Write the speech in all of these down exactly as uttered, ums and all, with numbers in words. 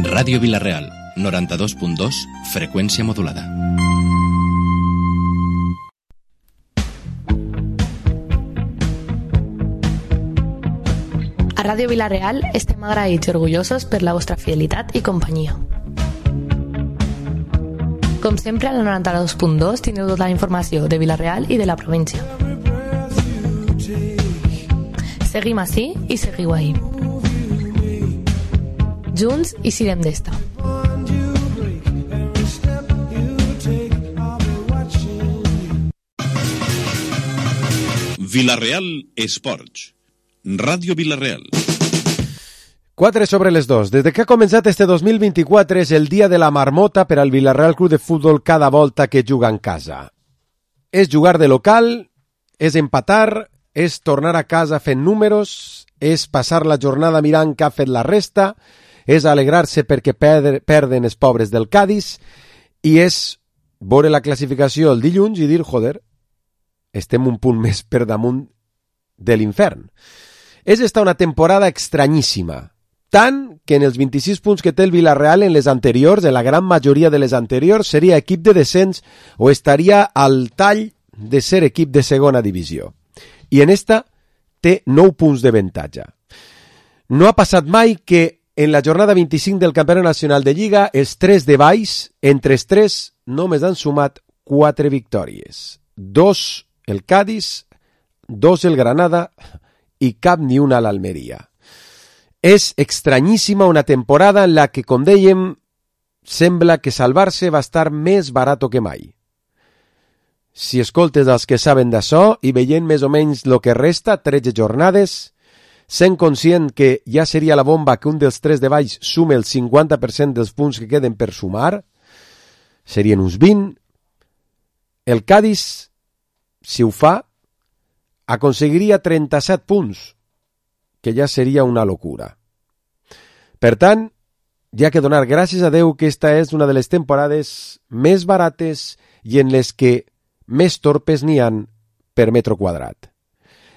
Ràdio Vila-real, noranta-dos punt dos, freqüència modulada. A Ràdio Vila-real estem agraïts i orgullosos per la vostra fidelitat i companyia. Com sempre, al noranta-dos punt dos teniu tota la informació de Vila-real i de la província. Seguim ací i seguiu ahí. Junts i sirem d'esta. Vila-real Esports. Ràdio Vila-real. quatre sobre les dos. Des que ha començat este dos mil vint-i-quatre és el dia de la marmota per al Vila-real Club de Futbol cada volta que juga en casa. És jugar de local, és empatar, és tornar a casa fent números, és passar la jornada mirant què ha fet la resta, és alegrar-se perquè per, perden els pobres del Cádiz i és veure la classificació el dilluns i dir, joder, estem un punt més per damunt de l'infern. És esta una temporada estranyíssima, tant que en els vint-i-sis punts que té el Vila-real en les anteriors, en la gran majoria de les anteriors, seria equip de descens o estaria al tall de ser equip de segona divisió. I en esta té nou punts de avantatge. No ha passat mai que en la jornada vint-i-cinc del Campionat Nacional de Lliga els tres de baix, entre els tres, només han sumat quatre victòries. Dos el Cádiz, dos el Granada i cap ni una a l'Almeria. És estranyíssima una temporada en la que, com dèiem, sembla que salvar-se va estar més barat que mai. Si escoltes els que saben d'això i veient més o menys el que resta, tretze jornades, sent conscient que ja seria la bomba que un dels tres de baix sume el cinquanta per cent dels punts que queden per sumar, serien uns vint. El Cádiz, si ho fa, aconseguiria trenta-set punts, que ja seria una locura. Per tant, hi ha que donar gràcies a Déu que esta és una de les temporades més barates i en les que més torpes n'hi han per metro quadrat.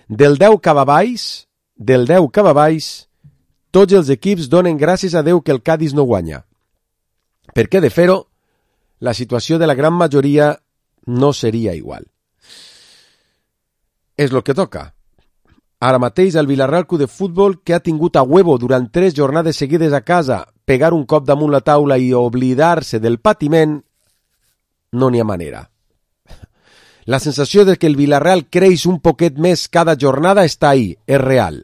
Del deu cap a baix, del deu cap a baix, tots els equips donen gràcies a Déu que el Cádiz no guanya. Perquè de fer-ho, la situació de la gran majoria no seria igual. És el que toca. Ara mateix el Vila-real Club de Futbol, que ha tingut a huevo durant tres jornades seguides a casa, pegar un cop damunt la taula i oblidar-se del patiment, no n'hi ha manera. La sensació de que el Vila-real creix un poquet més cada jornada està ahí, és real.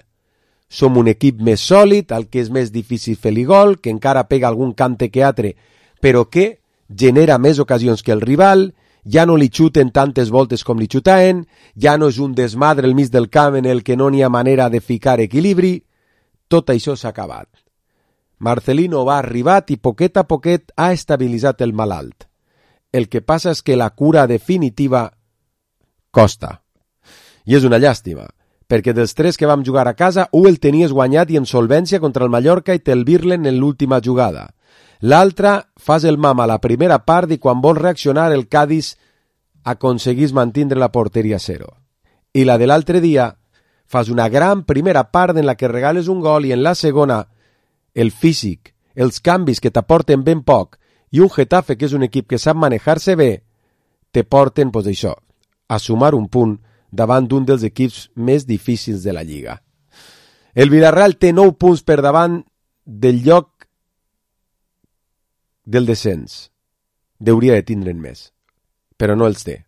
Som un equip més sòlid, al que és més difícil fer-li gol, que encara pega algun cante que altre, però que genera més ocasions que el rival, ja no li xuten tantes voltes com li xutaven, ja no és un desmadre al mig del camp en el que no n'hi ha manera de ficar equilibri. Tot això s'ha acabat. Marcelino va arribat i poquet a poquet ha estabilitzat el malalt. El que passa és que la cura definitiva costa. I és una llàstima, perquè dels tres que vam jugar a casa, un el tenies guanyat i en solvència contra el Mallorca i te'l virlen en l'última jugada. L'altre, fas el mam a la primera part i quan vols reaccionar el Cádiz aconseguís mantindre la porteria a zero. I la de l'altre dia, fas una gran primera part en la que regales un gol i en la segona, el físic, els canvis que t'aporten ben poc i un Getafe que és un equip que sap manejar-se bé, te porten, pues això, a sumar un punt davant d'un dels equips més difícils de la Lliga. El Vila-real té nou punts per davant del lloc del descens. Deuria de tindre'n més, però no els té.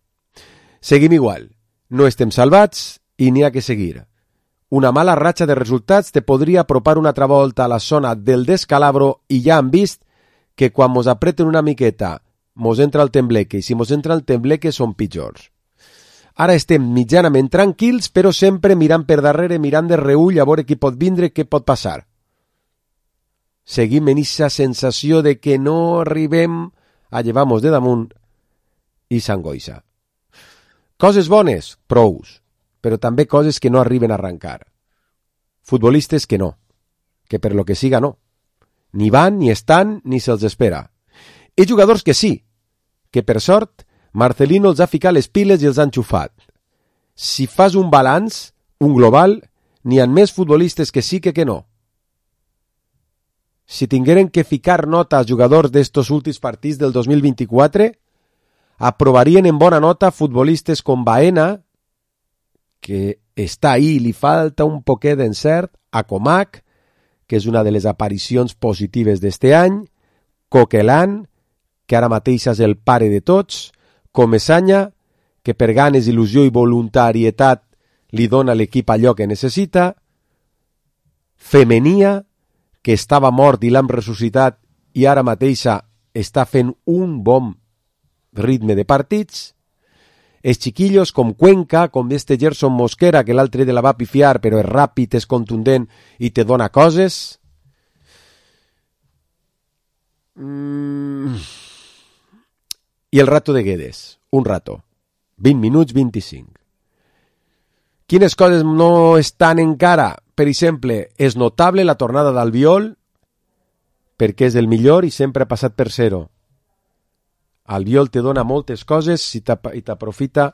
Seguim igual. No estem salvats i n'hi ha que seguir. Una mala ratxa de resultats te podria apropar una altra volta a la zona del descalabro i ja han vist que quan mos apreten una miqueta mos entra el tembleque i si mos entra el tembleque són pitjors. Ara estem mitjanament tranquils, però sempre mirant per darrere, mirant de reull a veure qui pot vindre, què pot passar. Seguim en aquesta sensació de que no arribem a llevar-nos de damunt i s'angoixa. Coses bones, prous, però també coses que no arriben a arrencar. Futbolistes que no, que per lo que siga no. Ni van, ni estan, ni se'ls espera. I jugadors que sí, que per sort Marcelino els ha ficat les piles i els ha enxufat. Si fas un balanç, un global, n'hi ha més futbolistes que sí que que no. Si tingueren que ficar nota als jugadors d'estos últims partits del dos mil vint-i-quatre, aprovarien en bona nota futbolistes com Baena, que està ahí, li falta un poquet d'encert, a Comac, que és una de les aparicions positives d'este any, Coquelin, que ara mateix és el pare de tots, Comesaña, que per ganes, il·lusió i voluntarietat li dona a l'equip allò que necessita, Femenia, que estava mort i l'han ressuscitat i ara mateixa està fent un bon ritme de partits, els xiquillos com Cuenca, com este Gerson Mosquera, que l'altre de la va pifiar, però és ràpid, és contundent i te dona coses. Mm. I el rato de Guedes, un rato. vint minuts, vint-i-cinc. Quines coses no estan encara? Per exemple, és notable la tornada d'Albiol, perquè és el millor i sempre ha passat per zero. Albiol te dona moltes coses i t'aprofita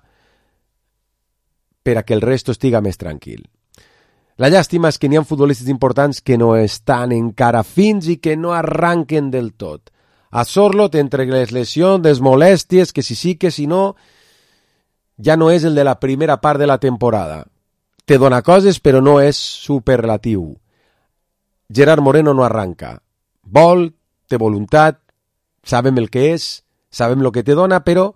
per a que el resto estiga més tranquil. La llàstima és que n'hi ha futbolistes importants que no estan encara fins i que no arranquen del tot. A Sorlot, entre les lesions, les molèsties, que si sí, que si no, ja no és el de la primera part de la temporada. Te dona coses, però no és superlatiu. Gerard Moreno no arranca. Vol, té voluntat, sabem el que és, sabem el que te dona, però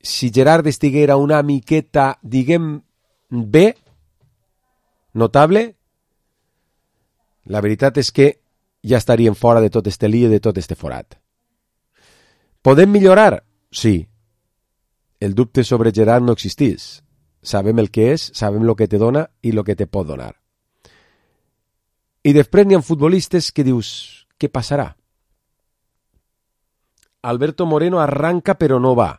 si Gerard estiguera una miqueta, diguem, bé, notable, la veritat és que ja estaríem fora de tot este lío, de tot este forat. Podem millorar? Sí. El dubte sobre Gerard no existís. Sabem el que és, sabem el que te dona i el que te pot donar. I després n'hi ha futbolistes que dius, què passarà? Alberto Moreno arranca però no va.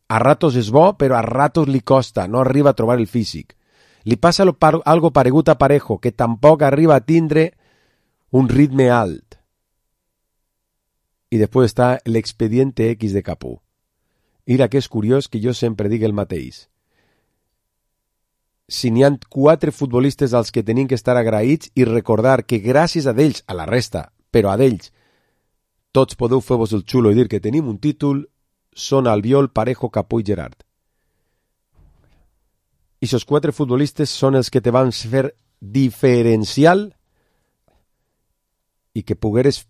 A ratos és bo, però a ratos li costa, no arriba a trobar el físic. Li passa algo paregut a Parejo, que tampoc arriba a tindre un ritme alt. I després està l'expediente X de Capú. Mira que és curiós que jo sempre digui el mateix. Si n'hi ha quatre futbolistes als que tenim que estar agraïts i recordar que gràcies a d'ells, a la resta, però a d'ells, tots podeu fer-vos el xulo i dir que tenim un títol, són Albiol, Parejo, Capú i Gerard. I aquests quatre futbolistes són els que te van fer diferencial i que pogueres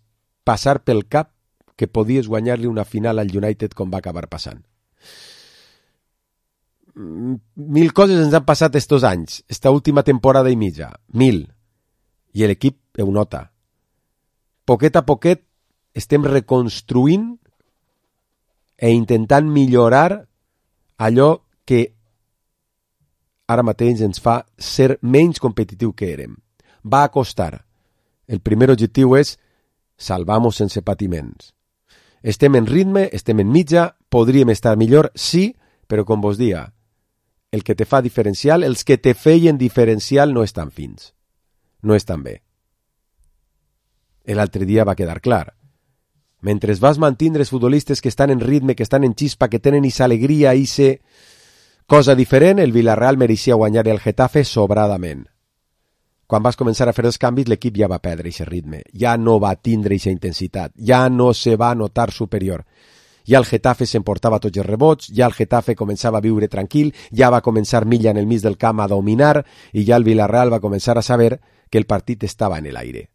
passar pel cap que podies guanyar-li una final al United com va acabar passant. Mil coses ens han passat estos anys, esta última temporada i mitja, mil, i l'equip ho nota. Poquet a poquet estem reconstruint e intentant millorar allò que ara mateix ens fa ser menys competitiu que érem. Va a costar. El primer objectiu és salvar-nos sense patiments. Estem en ritme, estem en mitja, podríem estar millor, sí, però com vos dia, el que te fa diferencial, els que te feien diferencial no estan fins. No estan bé. L'altre dia va quedar clar. Mentre vas mantindre els futbolistes que estan en ritme, que estan en xispa, que tenen esa alegria, esa cosa diferent, el Villarreal mereixia guanyar el Getafe sobradament. Quan vas començar a fer els canvis, l'equip ja va perdre aquest ritme, ja no va tindre aquesta intensitat, ja no se va notar superior. Ja el Getafe s'emportava tots els rebots, ja el Getafe començava a viure tranquil, ja va començar Milla en el mig del camp a dominar i ja el Villarreal va començar a saber que el partit estava en l'aire.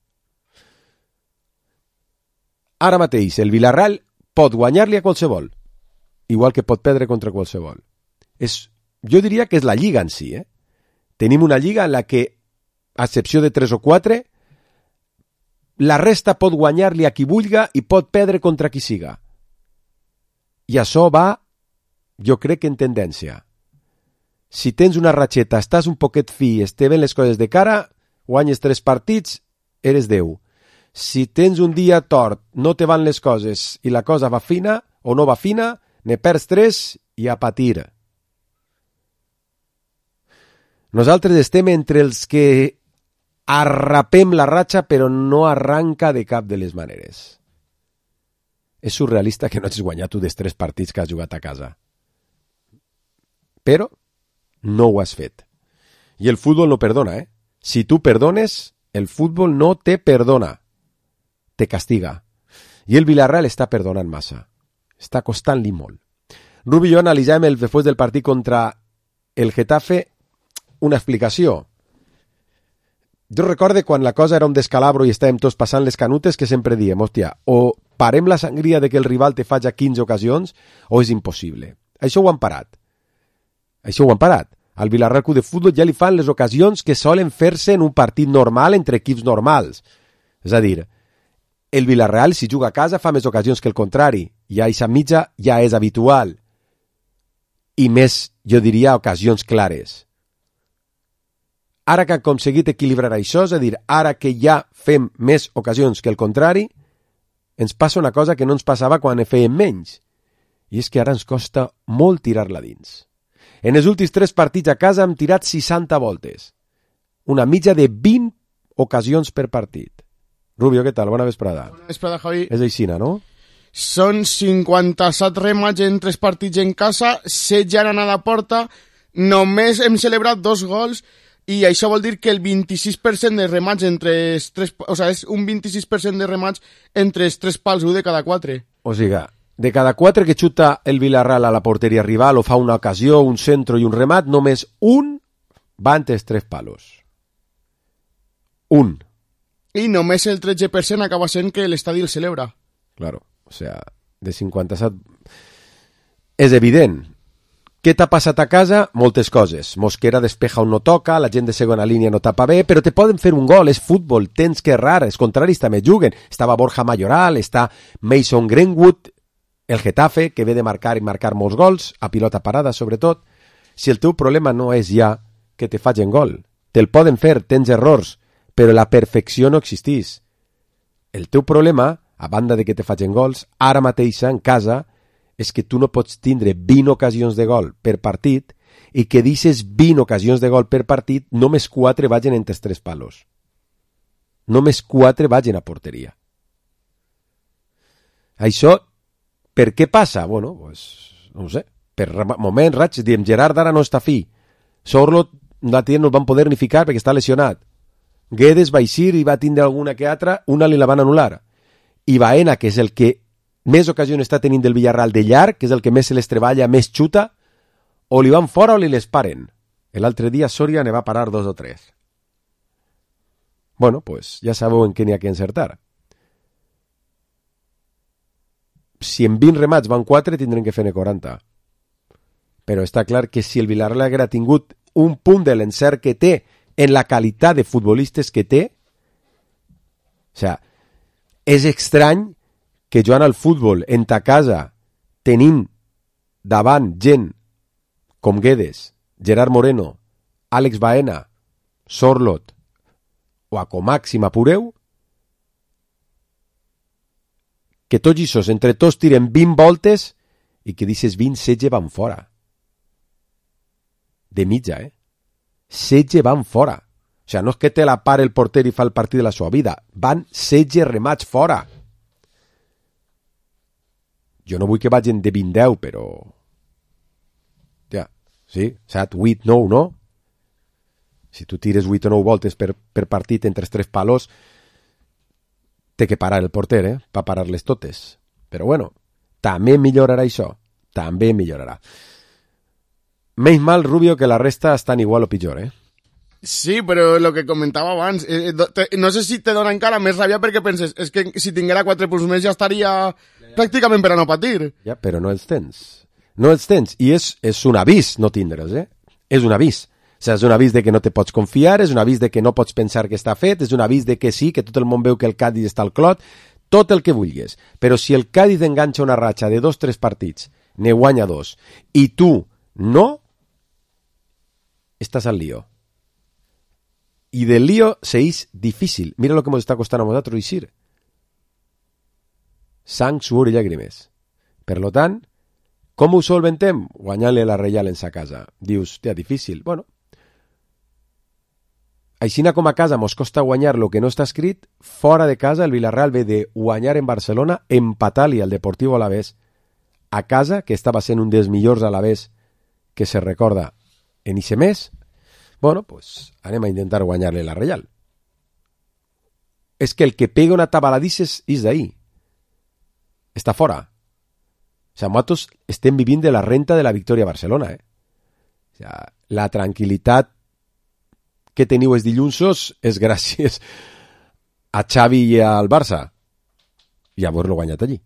Ara mateix, el Villarreal pot guanyar-li a qualsevol, igual que pot perdre contra qualsevol. És, jo diria que és la lliga en si. Eh? Tenim una lliga en la que, a excepció de tres o quatre, la resta pot guanyar-li a qui vulga i pot perdre contra qui siga. I això va, jo crec que en tendència. Si tens una ratxeta, estàs un poquet fi, es te ven les coses de cara, guanyes tres partits, eres Déu. Si tens un dia tort, no te van les coses i la cosa va fina o no va fina, ne perds tres i a patir. Nosaltres estem entre els que arrapem la ratxa però no arranca de cap de les maneres. És surrealista que no hagis guanyat tu dels tres partits que has jugat a casa. Però no ho has fet. Y el fútbol no perdona, ¿eh? Si tú perdones, el fútbol no te perdona. Te castiga. I el Villarreal està perdonant massa. Està costant-li molt. Rubi i jo analitzàvem el, després del partit contra el Getafe una explicació. Jo recorde quan la cosa era un descalabro i estàvem tots passant les canutes que sempre diem, hòstia, o parem la sangria de que el rival te faci quinze ocasions o és impossible. Això ho han parat. Això ho han parat. Al Villarreal Club de Futbol ja li fan les ocasions que solen fer-se en un partit normal entre equips normals. És a dir, el Villarreal, si juga a casa, fa més ocasions que el contrari. I a aquesta mitja ja és habitual. I més, jo diria, ocasions clares. Ara que han aconseguit equilibrar això, és a dir, ara que ja fem més ocasions que el contrari, ens passa una cosa que no ens passava quan en fèiem menys. I és que ara ens costa molt tirar-la dins. En els últims tres partits a casa hem tirat seixanta voltes. Una mitja de vint ocasions per partit. Rubio, què tal? Bona vesprada. Bona vesprada, Javi. És aixina, no? Són cinquanta-set remats en tres partits en casa, setze han anat a porta, només hem celebrat dos gols i això vol dir que el vint-i-sis per cent de remats entre els tres... O sigui, és un vint-i-sis per cent de remats entre els tres pals, un de cada quatre. O sigui, de cada quatre que xuta el Villarreal a la porteria rival o fa una ocasió, un centro i un remat, només un va entre els tres palos. Un. I només el tretze per cent acaba sent que l'estadi el celebra. Claro, o sea, de cinquanta-set... És evident. Què t'ha passat a casa? Moltes coses. Mosquera despeja on no toca, la gent de segona línia no tapa bé, però te poden fer un gol, és futbol, tens que errar, els contraris també juguen. Estava Borja Mayoral, està Mason Greenwood, el Getafe, que ve de marcar i marcar molts gols, a pilota parada sobretot. Si el teu problema no és ja que te facin gol, te'l poden fer, tens errors, però la perfecció no existeix. El teu problema, a banda de que te facin gols, ara mateixa en casa, és que tu no pots tindre vint ocasions de gol per partit i que deixes vint ocasions de gol per partit, només quatre vagin entre els tres palos. Només quatre vagin a porteria. Això, per què passa? Bueno, pues, no ho sé. Per moment, raig, diem, Gerard ara no està fi. Sorlot, l'altre dia no el van poder ni ficar perquè està lesionat. Guedes va eixir i va tindre alguna que altra, una li la van anul·lar. I Baena, que és el que més ocasions està tenint del Villarreal de llarg, que és el que més se les treballa, més xuta, o li van fora o li les paren. L'altre dia Soria ne va parar dos o tres. Bueno, pues ja sabeu en què n'hi ha que encertar. Si en vint remats van quatre, tindrem que fer-ne quaranta. Però està clar que si el Villarreal haguera tingut un punt de l'encert que té en la qualitat de futbolistes que té, o sea, és estrany que jugant al futbol en ta casa tenint davant gent com Guedes, Gerard Moreno, Àlex Baena, Sorlot o a Comac si m'apureu, que tots ixos entre tots tiren vint voltes i que dices vint, setze van fora. De mitja, eh? setze van fora. O sigui, no és que te la pare el porter i fa el partit de la seva vida. Van setze remats fora. Jo no vull que vagin de vint deu, però... Ja, sí, set, vuit, nou, no? Si tu tires vuit o nou voltes per, per partit entre els tres palos, té que parar el porter, eh? Per parar-les totes. Però bueno, també millorarà això. També millorarà. Menys mal, Rubio, que la resta estan igual o pitjor, eh? Sí, però el que comentava abans, eh, te, no sé si te dona encara més ràbia perquè penses, és que si tinguera quatre punts més ja estaria pràcticament per a no patir. Ja, però no els tens. No els tens. I és, és un avís no tindre'ls, eh? És un avís. O sigui, és un avís de que no te pots confiar, és un avís de que no pots pensar que està fet, és un avís de que sí, que tot el món veu que el Cádiz està al clot, tot el que vulguis. Però si el Cádiz enganxa una ratxa de dos, tres partits, ne guanya dos, i tu no, estàs al lío. I del lío se és difícil. Mira lo que ens està costant a nosaltres eixir. Sang, suor i llàgrimes. Per lo tant, com ho solventem? Guanyant-li la Reial en sa casa. Dius, tia, difícil. Bueno, aixina com a casa mos costa guanyar lo que no està escrit, fora de casa el Villarreal ve de guanyar en Barcelona, empatar-li al Deportivo Alavés a casa, que estava sent un dels millors Alavés que se recorda en ixe mes. Bueno, pues anem a intentar guanyar-li la Reial. És que el que pega una tabaladisses és d'ahí. Està fora. O sea, nosaltres estem vivint de la renta de la victòria a Barcelona, eh? O sea, la tranquil·litat que teniu els dilluns és gràcies a Xavi i al Barça i haver-lo guanyat allí.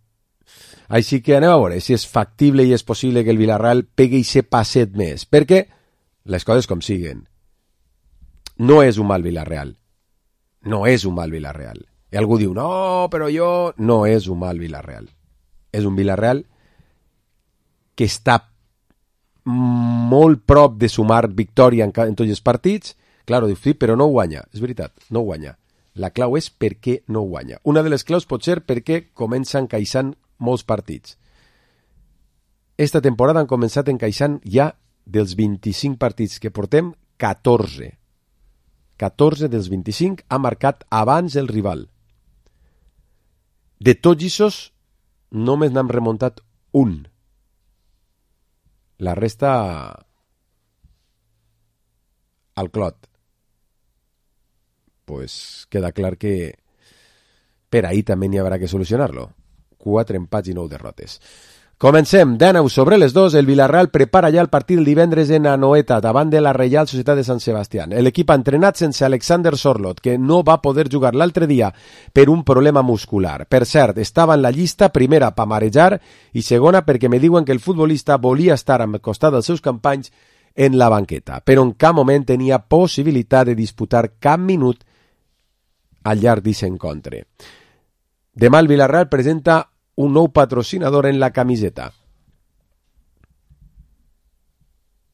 Així que anem a veure si és factible i és possible que el Villarreal pegui ese passet més, perquè les coses com siguen. No és un mal Villarreal. No és un mal Villarreal. I algú diu, no, però jo... No és un mal Villarreal. És un Villarreal que està molt prop de sumar victòria en, en tots els partits. Claro, diu, sí, però no guanya. És veritat, no guanya. La clau és per què no guanya. Una de les claus pot ser perquè comença encaixant molts partits. Esta temporada han començat encaixant ja dels vint-i-cinc partits que portem, catorze. catorze dels vint-i-cinc ha marcat abans el rival. De tots aquests, només n'hem remuntat un. La resta al clot. Pues queda clar que per ahí també n'hi haurà que solucionar-lo. Quatre empats i nou derrotes. Comencem, de nou sobre les dos, el Villarreal prepara ja el partit el divendres en Anoeta, davant de la Reial Societat de Sant Sebastián. L'equip ha entrenat sense Alexander Sorloth, que no va poder jugar l'altre dia per un problema muscular. Per cert, estava en la llista, primera pa marejar i segona perquè me diuen que el futbolista volia estar al costat dels seus companys en la banqueta, però en cap moment tenia possibilitat de disputar cap minut al llarg d'aquest encontre. Demà el Villarreal presenta un nou patrocinador en la camiseta.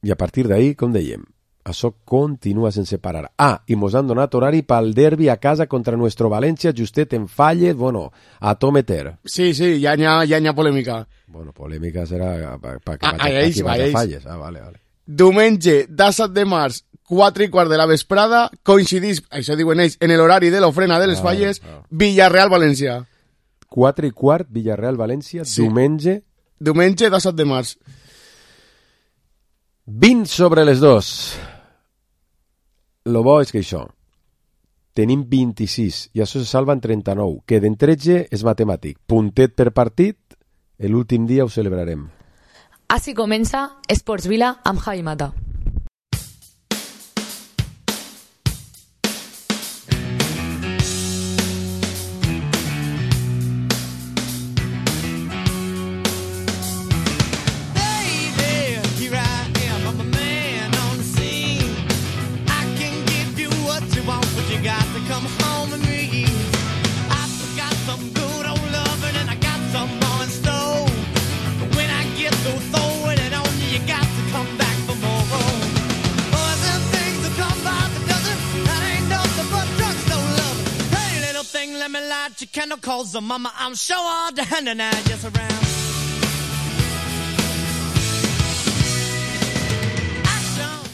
I a partir d'ahí, com dèiem, això continua sense parar. Ah, i mos han donat horari pel derbi a casa contra nuestro València, justet en falles, bueno, a to meter. Sí, sí, ja n'hi ha, ja n'hi ha polèmica. Bueno, polèmica serà pa, pa, Ah, pa, ahí és, pa, ahí és. falles. Ah, vale, vale. Diumenge, disset de març, quatre i quart de la vesprada, coincidís, això diuen ells, en l'horari de l'ofrena de les Ah, falles, ah. Villarreal-València. quatre i quart, Villarreal-València, Sí. diumenge, Diumenge, disset de març. vint sobre les dos. Lo bo és que això, tenim vint-i-sis i això se salva en trenta-nou. Queden tretze, és matemàtic. Puntet per partit, l'últim dia ho celebrarem. Així comença Esports Vila amb Javi Mata. Calls the mama, I'm sure all the hand and I just around.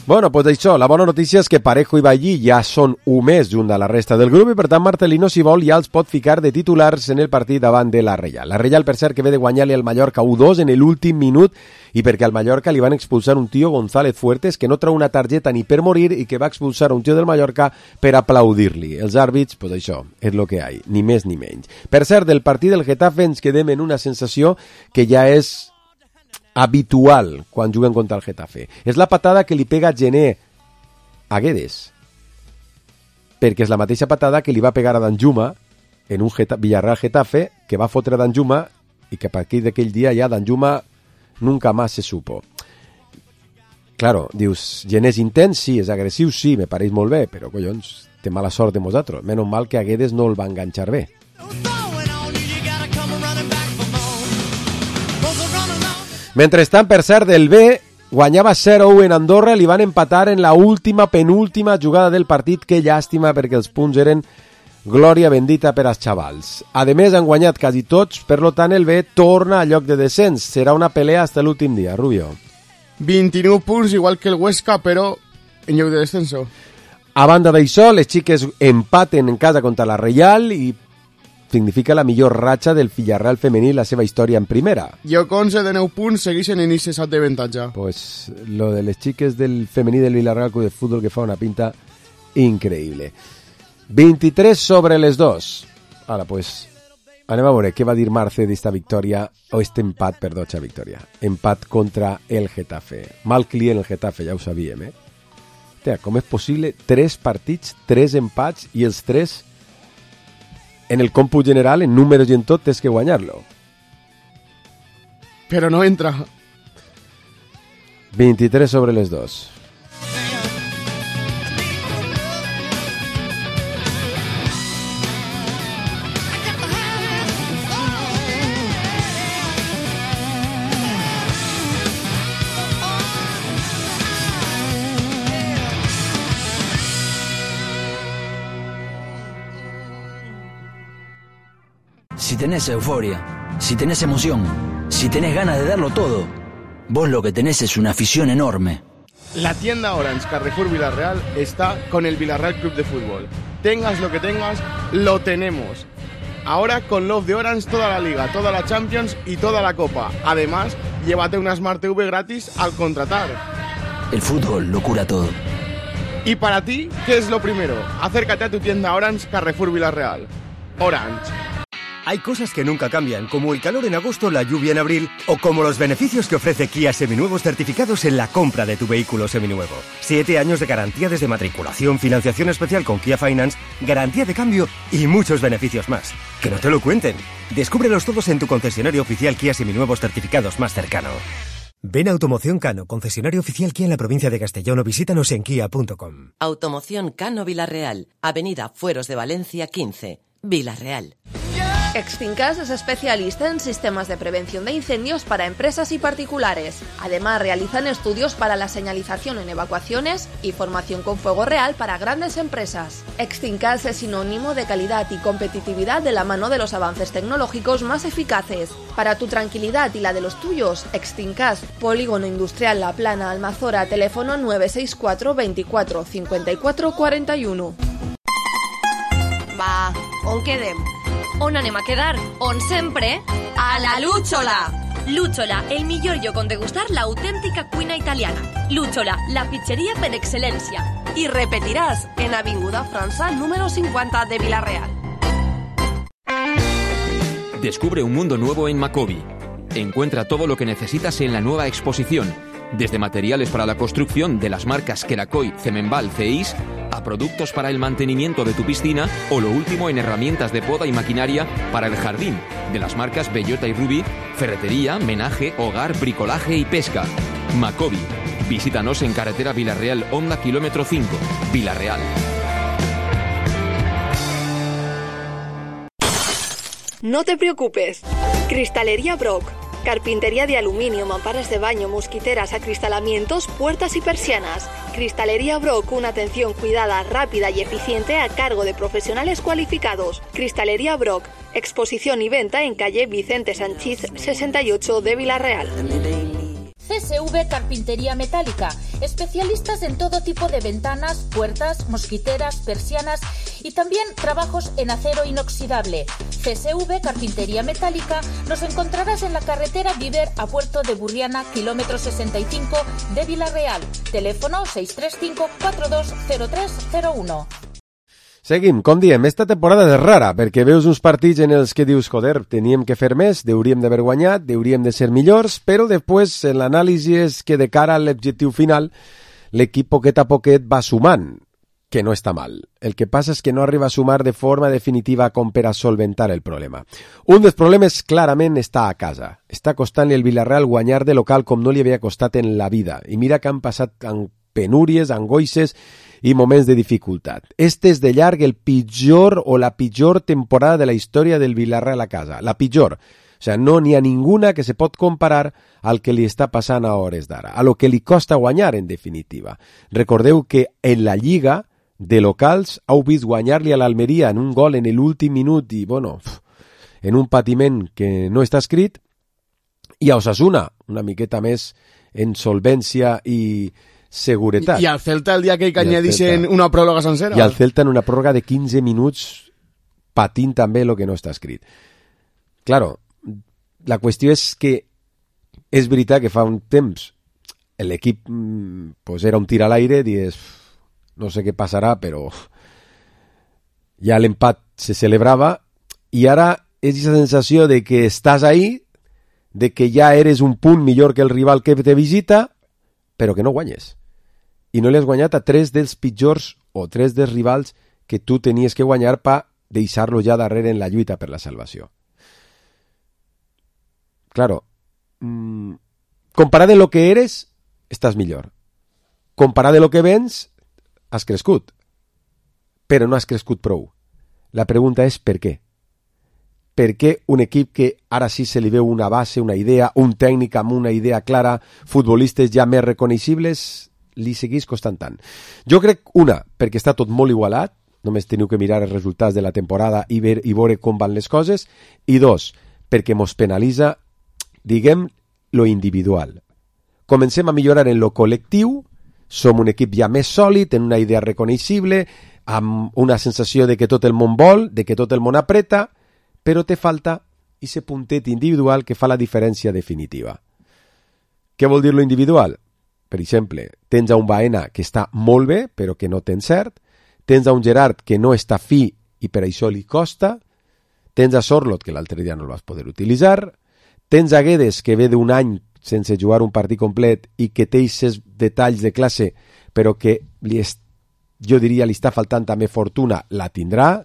Bueno, pues això, la bona notícia és que Parejo i Ballí ja són un mes junt a la resta del grup i per tant Marcelino, si vol, ja els pot ficar de titulars en el partit davant de la Reial. La Reial, per cert, que ve de guanyar-li al Mallorca u dos en l'últim minut i perquè al Mallorca li van expulsar un tio, González Fuertes, que no treu una targeta ni per morir i que va expulsar un tio del Mallorca per aplaudir-li. Els àrbits, pues això, és lo que hi ha, ni més ni menys. Per cert, del partit del Getafe ens quedem en una sensació que ja és habitual quan juguen contra el Getafe. És la patada que li pega Gené a Guedes, perquè és la mateixa patada que li va pegar a Danjuma en un Geta- Villarreal-Getafe, que va fotre a Danjuma i que a partir d'aquell dia ja Danjuma nunca más se supo. Claro, dius, Gené és intens, sí, és agressiu, sí, me pareix molt bé, però collons, té mala sort de nosaltres. Menys mal que a Guedes no el va enganxar bé. Mentrestant, per cert, el B guanyava zero u en Andorra, li van empatar en la última, penúltima jugada del partit. Que llàstima, perquè els punts eren glòria bendita per als xavals. A més, han guanyat quasi tots, per lo tant el B torna a lloc de descens. Serà una pelea fins l'últim dia, Rubio. vint-i-nou punts, igual que el Huesca, però en lloc de descenso. A banda d'això, les xiques empaten en casa contra la Reial i significa la millor ratxa del Villarreal femení la seva història en primera. I amb onze de nou punts segueixen en ese sat d'avantatge. Pues lo de les xiques del femení del Villarreal Club de Fútbol que fa una pinta increïble. vint-i-tres sobre les dos. Ara, pues, anem a veure què va dir Marce d'esta victòria, o este empat, perdó, xa victòria. Empat contra el Getafe. Mal client el Getafe, ja ho sabíem, eh? Tea, com és possible? Tres partits, tres empats i els tres, en el còmput general, en números i en tot, tens que guanyar-lo. Però no entra. vint-i-tres sobre les dos. Si tenés euforia, si tenés emoción, si tenés ganas de darlo todo, vos lo que tenés es una afición enorme. La tienda Orange Carrefour Villarreal está con el Villarreal Club de Fútbol. Tengas lo que tengas, lo tenemos. Ahora con Love de Orange toda la Liga, toda la Champions y toda la Copa. Además, llévate una Smart T V gratis al contratar. El fútbol lo cura todo. Y para ti, ¿qué es lo primero? Acércate a tu tienda Orange Carrefour Villarreal. Orange. Hay cosas que nunca cambian, como el calor en agosto, la lluvia en abril, o como los beneficios que ofrece Kia Seminuevos certificados en la compra de tu vehículo seminuevo. Siete años de garantía desde matriculación, financiación especial con Kia Finance, garantía de cambio y muchos beneficios más. Que no te lo cuenten. Descúbrelos todos en tu concesionario oficial Kia Seminuevos certificados más cercano. Ven a Automoción Cano, concesionario oficial Kia en la provincia de Castellón, o visítanos en kia punto com. Automoción Cano Villarreal, Avenida Fueros de Valencia quince, Villarreal. Extincas es especialista en sistemas de prevención de incendios para empresas y particulares. Además, realizan estudios para la señalización en evacuaciones y formación con fuego real para grandes empresas. Extincas es sinónimo de calidad y competitividad de la mano de los avances tecnológicos más eficaces. Para tu tranquilidad y la de los tuyos, Extincas, Polígono Industrial La Plana, Almazora, teléfono nueve seis cuatro veinticuatro cincuenta y cuatro cuarenta y uno. Va, on quedem? On anem a quedar? On sempre? A la Lúchola! Lúchola, el millor lloc on degustar l'autèntica cuina italiana. Lúchola, la pizzeria per excel·lència. Y repetirás en Avinguda França número cincuenta de Villarreal. Descubre un mundo nuevo en Macobi. Encuentra todo lo que necesitas en la nueva exposición, desde materiales para la construcción de las marcas Kerakoy, Cemenbal, Ceis, a productos para el mantenimiento de tu piscina o lo último en herramientas de poda y maquinaria para el jardín, de las marcas Bellota y Ruby, ferretería, menaje, hogar, bricolaje y pesca. Macobi. Visítanos en carretera Villarreal Honda kilómetro cinco, Villarreal. No te preocupes. Cristalería Brock. Carpintería de aluminio, mamparas de baño, mosquiteras, acristalamientos, puertas y persianas. Cristalería Brock, una atención cuidada, rápida y eficiente a cargo de profesionales cualificados. Cristalería Brock, exposición y venta en calle Vicente Sanchís sesenta y ocho de Villarreal. C S V Carpintería Metálica, especialistas en todo tipo de ventanas, puertas, mosquiteras, persianas y también trabajos en acero inoxidable. C S V Carpintería Metálica nos encontrarás en la carretera Viver a Puerto de Burriana, kilómetro sesenta y cinco de Villarreal. Teléfono seis tres cinco cuatro dos cero tres cero uno. Seguim, com diem, esta temporada és rara, perquè veus uns partits en els que dius, joder, teníem que fer més, hauríem d'haver guanyat, hauríem de ser millors, però després en l'anàlisi és que de cara a l'objectiu final l'equip poquet a poquet va sumant, que no està mal. El que passa és que no arriba a sumar de forma definitiva com per a solventar el problema. Un dels problemes clarament està a casa. Està costant-li el Villarreal guanyar de local com no li havia costat en la vida. I mira que han passat amb penúries, angoixes i moments de dificultat. Este és de llarg el pitjor o la pitjor temporada de la història del Villarreal a casa. La pitjor. O sigui, no n'hi ha ninguna que se pot comparar al que li està passant a hores d'ara, a lo que li costa guanyar, en definitiva. Recordeu que en la Lliga de locals heu vist guanyar-li a l'Almeria en un gol en l'últim minut i, bueno, en un patiment que no està escrit, i a Osasuna, una miqueta més en solvència i seguretat. I al Celta el dia que hi añadissin una pròrroga sencera. I al Celta en una pròrroga de quinze minuts patint també el que no està escrit. Claro, la qüestió és que és veritat que fa un temps l'equip pues, era un tir a l'aire, dius, no sé què passarà, però ja l'empat se celebrava i ara és aquesta sensació de que estàs ahí, de que ja eres un punt millor que el rival que te visita, però que no guanyes. I no li has guanyat a tres dels pitjors o tres dels rivals que tu tenies que guanyar per deixar-lo ja darrere en la lluita per la salvació. Claro, mmm, comparat de lo que eres, estàs millor. Comparat de lo que vens, has crescut. Però no has crescut prou. La pregunta és per què? Per què un equip que ara sí se li veu una base, una idea, un tècnic amb una idea clara, futbolistes ja més reconeixibles, li seguís costant tant? Jo crec, una, perquè està tot molt igualat, només teniu que mirar els resultats de la temporada i, ver, i veure com van les coses, i dos, perquè mos penalitza, diguem, lo individual. Comencem a millorar en lo col·lectiu, som un equip ja més sòlid, en una idea reconeixible, amb una sensació de que tot el món vol, de que tot el món apreta, però te falta ese puntet individual que fa la diferència definitiva. Què vol dir lo individual? Per exemple, tens a un Baena que està molt bé, però que no té encert, tens a un Gerard que no està fi i per això li costa, tens a Sorloth que l'altre dia no el vas poder utilitzar, tens a Guedes que ve d'un any sense jugar un partit complet i que té aquests detalls de classe, però que li és, jo diria li està faltant també fortuna, la tindrà.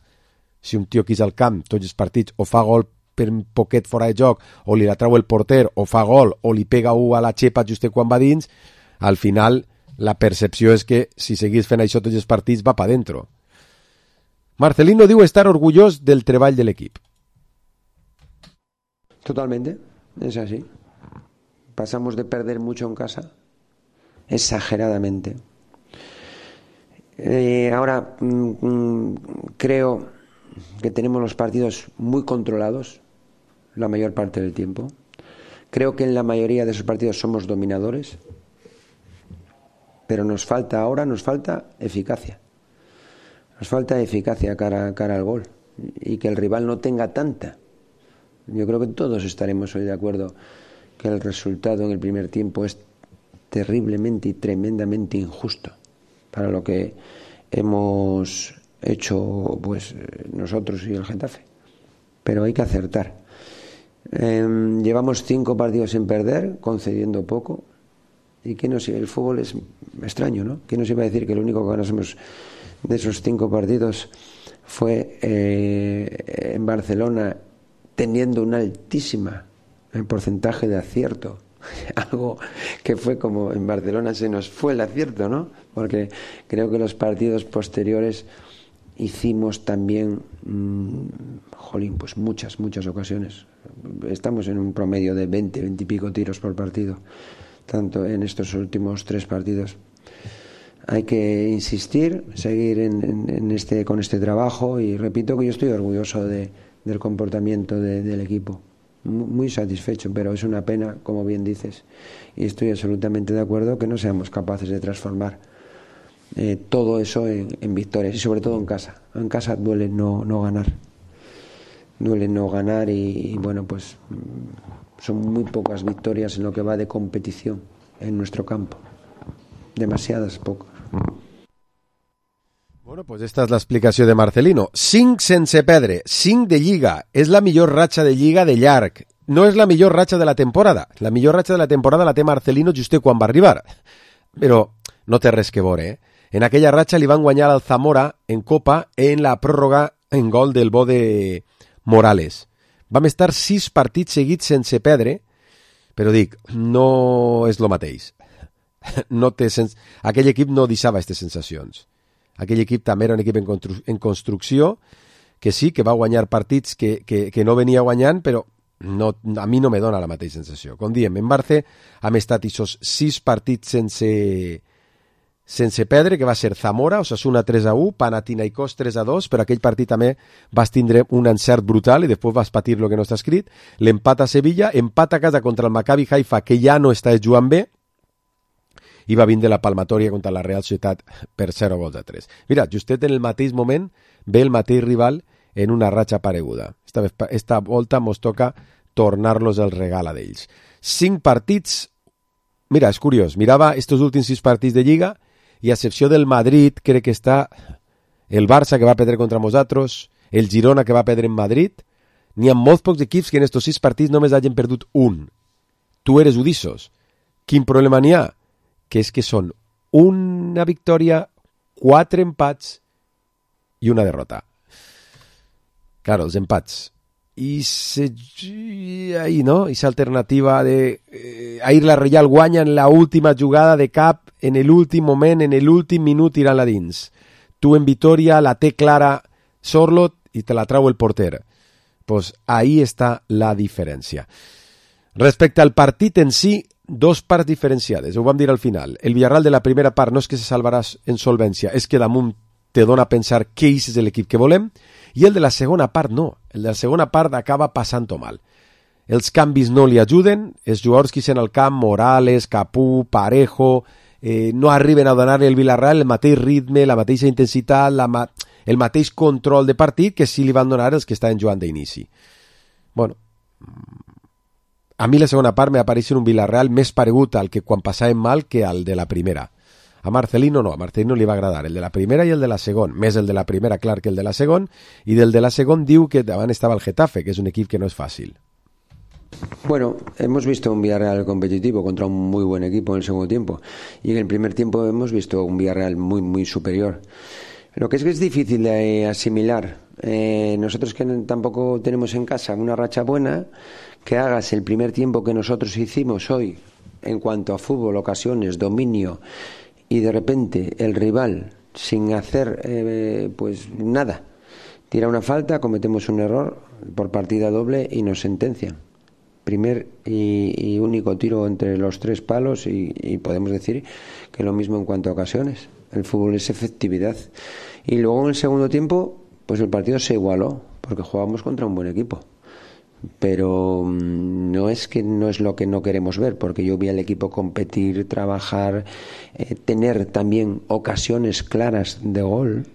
Si un tio que és al camp tots els partits o fa gol per un poquet fora de joc, o li la trau el porter, o fa gol, o li pega u a la xepa just quan va dins, al final la percepció és que si seguís fent això tots els partits va pa dentro. Marcelino diu estar orgullós del treball de l'equip. Totalmente, es así. Pasamos de perder mucho en casa, exageradamente. Eh, ahora mmm, creo que tenemos los partidos muy controlados la mayor parte del tiempo. Creo que en la mayoría de esos partidos somos dominadores, pero nos falta ahora, nos falta eficacia. Nos falta eficacia cara, cara al gol y que el rival no tenga tanta. Yo creo que todos estaremos hoy de acuerdo que el resultado en el primer tiempo es terriblemente y tremendamente injusto para lo que hemos hecho pues nosotros y el Getafe. Pero hay que acertar. Eh, llevamos cinco partidos sin perder, concediendo poco. ¿Y qué nos iba? El fútbol es extraño, ¿no? ¿Qué nos iba a decir que lo único que ganamos de esos cinco partidos fue eh, en Barcelona teniendo una altísima porcentaje de acierto? Algo que fue como en Barcelona se nos fue el acierto, ¿no? Porque creo que los partidos posteriores hicimos también, mmm, jolín, pues muchas, muchas ocasiones. Estamos en un promedio de veinte, veinte y pico tiros por partido, tanto en estos últimos tres partidos. Hay que insistir, seguir en, en, en este, con este trabajo y repito que yo estoy orgulloso de, del comportamiento de, del equipo. Muy satisfecho, pero es una pena, como bien dices, y estoy absolutamente de acuerdo que no seamos capaces de transformar eh, todo eso en, en victorias y sobre todo en casa. En casa duele no, no ganar, duele no ganar y, y bueno, pues son muy pocas victorias en lo que va de competición en nuestro campo, demasiadas pocas. Bueno, pues esta és l'explicació de Marcelino. cinc sense perdre, cinc de Lliga. És la millor ratxa de Lliga de llarg. No és la millor ratxa de la temporada. La millor ratxa de la temporada la té Marcelino just quan va arribar. Però no té res que veure, eh? En aquella ratxa li van guanyar al Zamora en Copa en la pròrroga en gol del bo de Morales. Vam estar sis partits seguits sense perdre, però dic, no és lo mateix. No té sens... Aquell equip no deixava aquestes sensacions. Aquell equip també era un equip en, constru en construcció, que sí, que va guanyar partits que, que, que no venia guanyant, però no, a mi no me dona la mateixa sensació. Com diem, en Barça hem estat aquests sis partits sense, sense perdre, que va ser Zamora, Osasuna tres a u, Panathinaikos tres a dos, però aquell partit també vas tindre un encert brutal i després vas patir el que no està escrit, l'empat a Sevilla, empat a casa contra el Maccabi Haifa, que ja no està jugant bé, i va vindre la palmatòria contra la Real Societat per zero gols a tres. Mira, justet en el mateix moment ve el mateix rival en una ratxa pareguda. Esta, vez, esta volta mos toca tornar-los el regal a d'ells. Cinc partits. Mira, és curiós, mirava estos últims sis partits de Lliga i a excepció del Madrid crec que està el Barça que va perdre contra nosaltres, el Girona que va perdre en Madrid. N'hi ha molts pocs equips que en estos sis partits només hagin perdut un. Tu eres Udissos. Quin problema n'hi ha? Que és que són una victòria, quatre empats i una derrota. Claro, els empats. I se, ahí, no? Esa alternativa de eh, ahir la Reial guanya en la última jugada de cap, en el últim moment, en el últim minut tirant-la dins. Tu en Vitoria la té clara Sorlot i te la trau el porter. Pues ahí està la diferència. Respecte al partit en si, dos parts diferenciades, ho vam dir al final. El Villarreal de la primera part no és que se salvarà en solvència, és que damunt te dona a pensar que és l'equip que volem, i el de la segona part no. El de la segona part acaba passant-ho mal. Els canvis no li ajuden, els jugadors que són al camp, Morales, Capú, Parejo, eh, no arriben a donar-li al Villarreal el mateix ritme, la mateixa intensitat, la ma el mateix control de partit que sí li van donar els que estaven jugant d'inici. Bueno, a mi la segona part m'apareix un Villarreal més paregut al que quan passàvem mal que al de la primera. A Marcelino no, a Marcelino li va agradar el de la primera i el de la segon, més el de la primera clar que el de la segon, i del de la segon diu que davant estava el Getafe, que és un equip que no és fàcil. Bueno, hemos visto un Villarreal competitivo contra un muy buen equipo en el segundo tiempo, y en el primer tiempo hemos visto un Villarreal muy, muy superior. Lo que es que es difícil de asimilar. Eh, nosotros que tampoco tenemos en casa una racha buena, que hagas el primer tiempo que nosotros hicimos hoy en cuanto a fútbol, ocasiones, dominio, y de repente el rival, sin hacer eh, pues nada, tira una falta, cometemos un error por partida doble y nos sentencian. Primer y, y único tiro entre los tres palos y, y podemos decir que lo mismo en cuanto a ocasiones. El fútbol es efectividad. Y luego en el segundo tiempo, pues el partido se igualó, porque jugábamos contra un buen equipo. Pero no es que no es lo que no queremos ver, porque yo vi al equipo competir, trabajar, eh, tener también ocasiones claras de gol.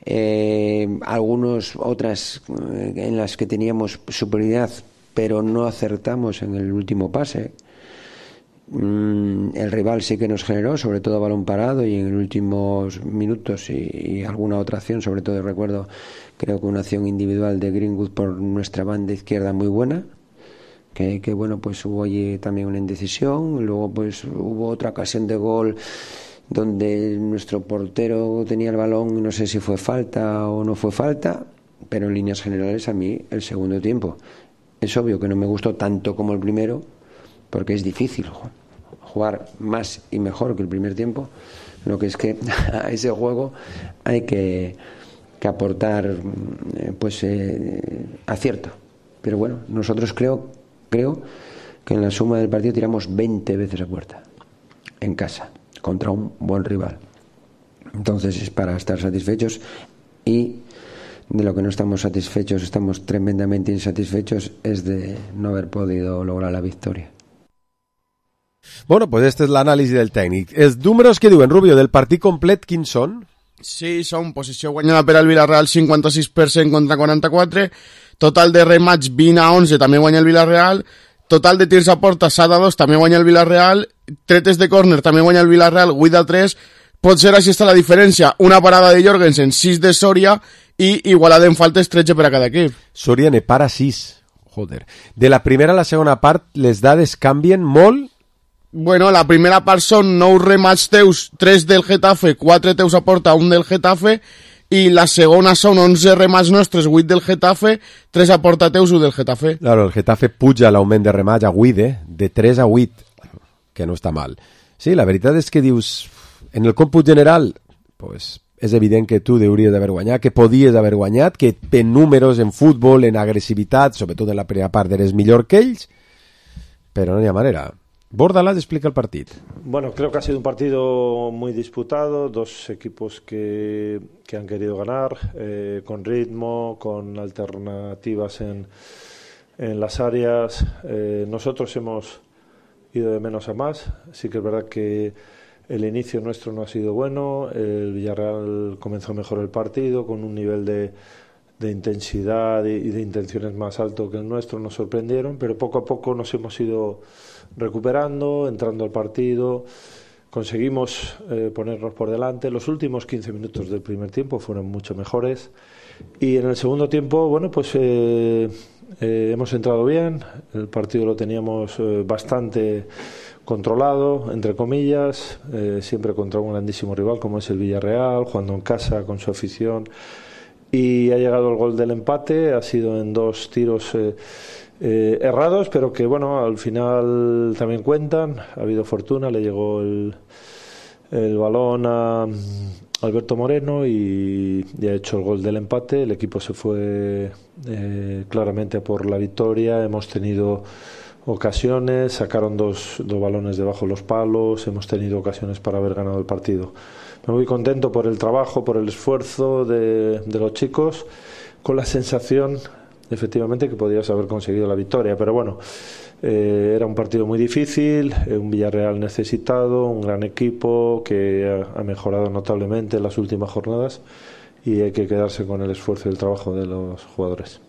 Eh, algunas otras eh, en las que teníamos superioridad, pero no acertamos en el último pase. El rival sí que nos generó, sobre todo a balón parado y en los últimos minutos y, y alguna otra acción, sobre todo recuerdo creo que una acción individual de Greenwood por nuestra banda izquierda muy buena, que, que bueno, pues hubo allí también una indecisión. Luego pues hubo otra ocasión de gol donde nuestro portero tenía el balón y no sé si fue falta o no fue falta, pero en líneas generales a mí el segundo tiempo es obvio que no me gustó tanto como el primero, porque es difícil jugar más y mejor que el primer tiempo. Lo que es que a ese juego hay que, que aportar pues eh, acierto. Pero bueno, nosotros creo, creo que en la suma del partido tiramos veinte veces a puerta en casa contra un buen rival. Entonces es para estar satisfechos, y de lo que no estamos satisfechos, estamos tremendamente insatisfechos, es de no haber podido lograr la victoria. Bueno, pues este és l'anàlisi del tècnic. Els números que diuen, Rubio, del partit complet, quins són? Sí, són posició guanyada per al Villarreal cinquanta-sis per cent contra quaranta-quatre, total de remats vint a onze, també guanya el Villarreal, total de tirs a porta set a dos, també guanya el Villarreal, tretes de córner, també guanya el Villarreal, vuit a tres, potser així està la diferència, una parada de Jorgensen, sis de Soria, i igualada en faltes tretze per a cada equip. Soria ne para sis, joder. De la primera a la segona part, les dades canvien molt. Bueno, la primera part són nou remats teus, tres del Getafe, quatre teus a porta, un del Getafe, i la segona són onze remats nostres, vuit del Getafe, tres a porta teus, un del Getafe. Claro, el Getafe puja l'augment de remats a vuit, eh? De tres a vuit, que no està mal. Sí, la veritat és que dius, en el còmput general, pues, és evident que tu hauries d'haver guanyat, que podies haver guanyat, que en números, en futbol, en agressivitat, sobretot en la primera part, eres millor que ells, però no hi ha manera. Bordalás explica el partido. Bueno, creo que ha sido un partido muy disputado, dos equipos que, que han querido ganar, eh, con ritmo, con alternativas en, en las áreas. Eh, nosotros hemos ido de menos a más. Sí que es verdad que el inicio nuestro no ha sido bueno, el Villarreal comenzó mejor el partido, con un nivel de, de intensidad y de intenciones más alto que el nuestro, nos sorprendieron, pero poco a poco nos hemos ido recuperando, entrando al partido, conseguimos eh, ponernos por delante. Los últimos quince minutos del primer tiempo fueron mucho mejores y en el segundo tiempo, bueno, pues eh, eh, hemos entrado bien, el partido lo teníamos eh, bastante controlado, entre comillas, eh, siempre contra un grandísimo rival como es el Villarreal, jugando en casa con su afición, y ha llegado el gol del empate, ha sido en dos tiros eh, eh, errados, pero que bueno, al final también cuentan, ha habido fortuna, le llegó el, el balón a Alberto Moreno y, y ha hecho el gol del empate, el equipo se fue eh, claramente por la victoria, hemos tenido ocasiones, sacaron dos, dos balones debajo de los palos, hemos tenido ocasiones para haber ganado el partido. Me voy contento por el trabajo, por el esfuerzo de, de los chicos, con la sensación efectivamente que podías haber conseguido la victoria, pero bueno, eh, era un partido muy difícil, un Villarreal necesitado, un gran equipo que ha, ha mejorado notablemente en las últimas jornadas y hay que quedarse con el esfuerzo y el trabajo de los jugadores.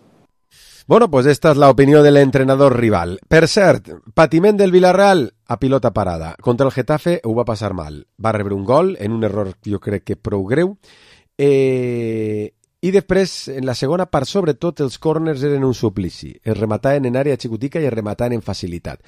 Bueno, pues esta és l'opinió de l'entrenador rival. Per cert, patiment del Villarreal a pilota parada. Contra el Getafe ho va passar mal. Va rebre un gol en un error jo crec que prou greu. Eh, I després, en la segona part, sobretot, els corners eren un suplici. Es remataven en àrea xicotica i es remataven en facilitat.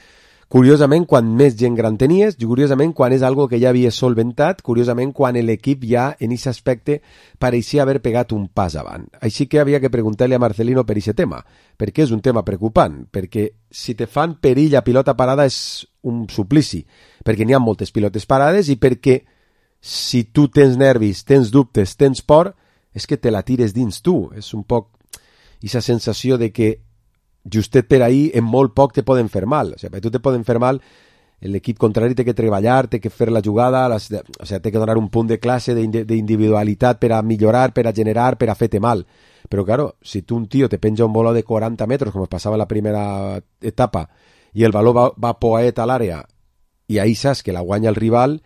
Curiosament, quan més gent gran tenies, curiosament, quan és algo que ja havies solventat, curiosament, quan l'equip ja, en aquest aspecte, pareixia haver pegat un pas avant. Així que havia que preguntar-li a Marcelino per aquest tema, perquè és un tema preocupant, perquè si te fan perill a pilota parada és un suplici, perquè n'hi ha moltes pilotes parades i perquè si tu tens nervis, tens dubtes, tens por, és que te la tires dins tu. És un poc aquesta sensació de que justet per ahí, en molt poc te poden fer mal. O sigui, per tu te poden fer mal, l'equip contrari té que treballar, té que fer la jugada, les, o sigui, té que donar un punt de classe d'individualitat per a millorar, per a generar, per a fer-te mal. Però, claro, si tu un tio te penja un baló de quaranta metres, com es passava en la primera etapa, i el baló va, va poet a l'àrea, i ahí saps que la guanya el rival,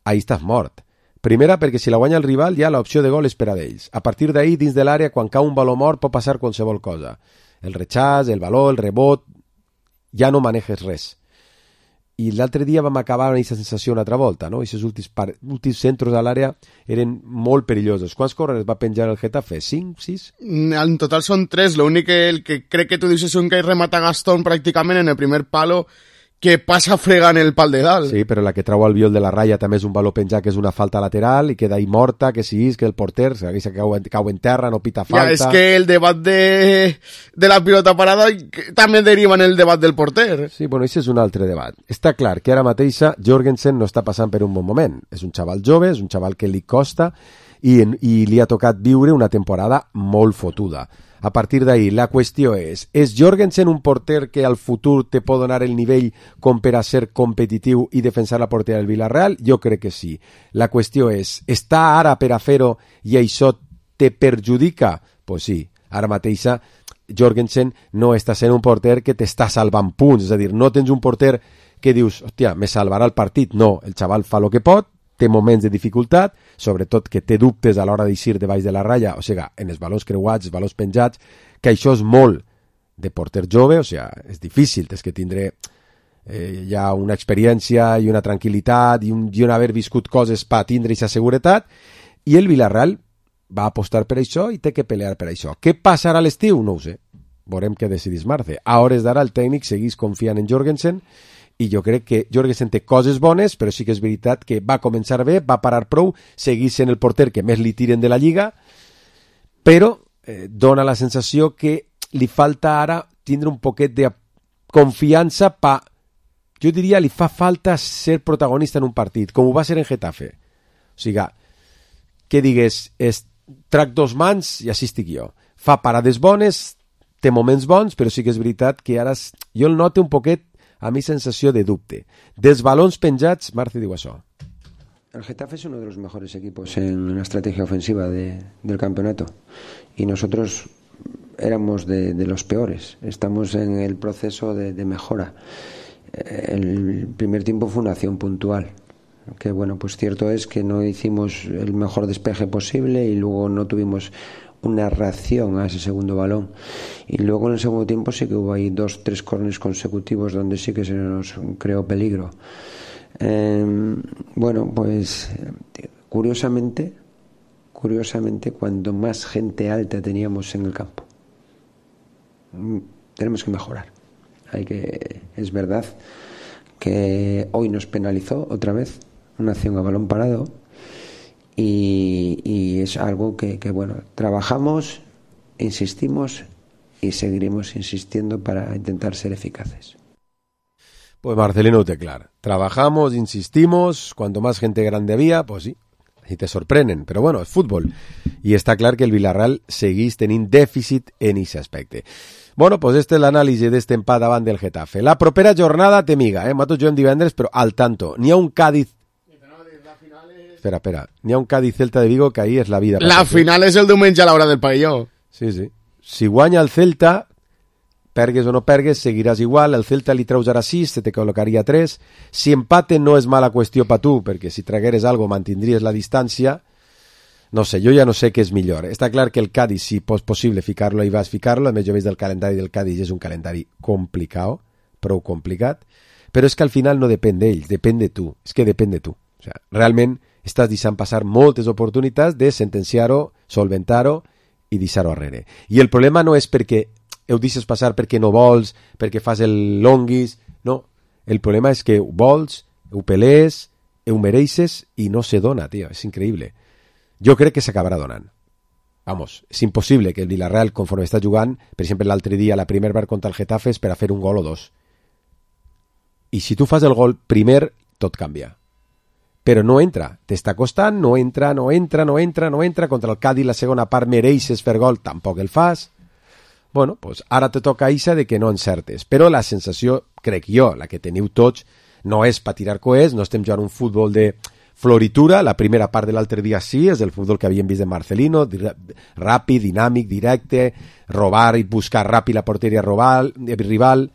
ahí estàs mort. Primera, perquè si la guanya el rival, ja l'opció de gol és per a d'ells. A partir d'ahí, dins de l'àrea, quan cau un baló mort, pot passar qualsevol cosa. El rechaç, el valor, el rebot, ja no manejes res. I l'altre dia vam acabar amb aquesta sensació una altra volta, no? Aquests últims, par... últims centres a l'àrea eren molt perillosos. Quants corrers va penjar el Getafe? cinc, sis? En total són tres. L'únic que, el que crec que tu dius és un que remata Gastón pràcticament en el primer palo, que passa fregant el pal de dalt. Sí, però la que trau al viol de la ratlla també és un valor penjat, que és una falta lateral i queda ahí morta, que sí, és que el porter que cau en, cau en terra, no pita falta. Ja, és que el debat de, de la pilota parada també deriva en el debat del porter. Sí, bueno, això és un altre debat. Està clar que ara mateixa Jorgensen no està passant per un bon moment. És un xaval jove, és un xaval que li costa i, i li ha tocat viure una temporada molt fotuda. A partir d'ahí, la qüestió és, és Jorgensen un porter que al futur te pot donar el nivell com per a ser competitiu i defensar la porteria del Villarreal? Jo crec que sí. La qüestió és, està ara per a fer-ho i això te perjudica? Pues sí, ara mateixa Jorgensen no està sent un porter que t'està salvant punts, és a dir, no tens un porter que dius, hòstia, me salvarà el partit. No, el xaval fa el que pot, té moments de dificultat, sobretot que té dubtes a l'hora d'eixir de baix de la ratlla, o sigui, en els valors creuats, els valors penjats, que això és molt de porter jove, o sigui, és difícil, tens que tindre eh, ja una experiència i una tranquil·litat i un, i un haver viscut coses per tindre aquesta seguretat, i el Villarreal va apostar per això i té que pelear per això. Què passarà a l'estiu? No ho sé. Veurem què decidís Marce. A hores d'ara el tècnic seguís confiant en Jorgensen i jo crec que Jorgensen té coses bones, però sí que és veritat que va començar bé, va parar prou, seguís sent el porter que més li tiren de la Lliga, però eh, dona la sensació que li falta ara tindre un poquet de confiança pa, jo diria, li fa falta ser protagonista en un partit, com ho va ser en Getafe. O sigui, que digués, es, trac dos mans i així estic jo. Fa parades bones, té moments bons, però sí que és veritat que ara jo el noto un poquet a mi sensació de dubte. Dels balons penjats, Marce diu això. El Getafe es uno de los mejores equipos en la estrategia ofensiva de, del campeonato y nosotros éramos de, de los peores. Estamos en el proceso de, de mejora. El primer tiempo fue una acción puntual. que bueno, pues cierto es que no hicimos el mejor despeje posible y luego no tuvimos una reacción a ese segundo balón. Y luego en el segundo tiempo sí que hubo ahí dos, tres córneres consecutivos donde sí que se nos creó peligro. Eh, bueno, pues curiosamente, curiosamente, cuando más gente alta teníamos en el campo. Tenemos que mejorar. Hay que, es verdad que hoy nos penalizó otra vez una acción a balón parado y, y es algo que, que bueno, trabajamos, insistimos y seguiremos insistiendo para intentar ser eficaces. Pues Marcelino Teclar, trabajamos, insistimos, cuanto más gente grande había, pues sí, y te sorprenen, però bueno, és futbol, i està clar que el Villarreal seguís tenint dèficit en aquest aspecte. Bueno, pues este és l'anàlisi d'este empat davant del Getafe. La propera jornada té miga, eh? Nosaltres juguem divendres, però al tanto, n'hi ha un Cádiz... Espera, espera, n'hi ha un Cádiz-Celta de Vigo que ahí és la vida. La final és el diumenge a l'hora del pavelló. Sí, sí. Si guanya el Celta, pergues o no pergues, seguiràs igual, el Celta li treus ara sis, se te col·locaria tres, si empate no és mala qüestió per tu, perquè si tragueres algo mantindries la distància, no sé, jo ja no sé què és millor. Està clar que el Cádiz, si és possible ficar-lo, hi vas ficar-lo, a més jo veig del calendari del Cádiz, és un calendari complicat, prou complicat, però és que al final no depèn d'ells, depèn de tu, és que depèn de tu. O sea, realment estàs deixant passar moltes oportunitats de sentenciar-ho, solventar-ho i deixar-ho arrere. I el problema no és perquè ho deixes passar perquè no vols, perquè fas el longuis, no. El problema és que ho vols, ho pelees, ho mereixes i no se dona, tio, és increïble. Jo crec que s'acabarà donant. Vamos, és impossible que el Villarreal, conforme està jugant, per exemple l'altre dia, la primera part contra el Getafe és per a fer un gol o dos. I si tu fas el gol primer, tot canvia. Però no entra, t'està costant, no entra, no entra, no entra, no entra, contra el Cádiz la segona part mereixes fer gol, tampoc el fas. Bueno, pues ara te toca Isa de que no encertes, però la sensació, crec jo, la que teniu tots, no és per tirar coets, no estem jugant un futbol de floritura, la primera part de l'altre dia sí, és el futbol que havíem vist de Marcelino, ràpid, dinàmic, directe, robar i buscar ràpid la porteria rival, rival.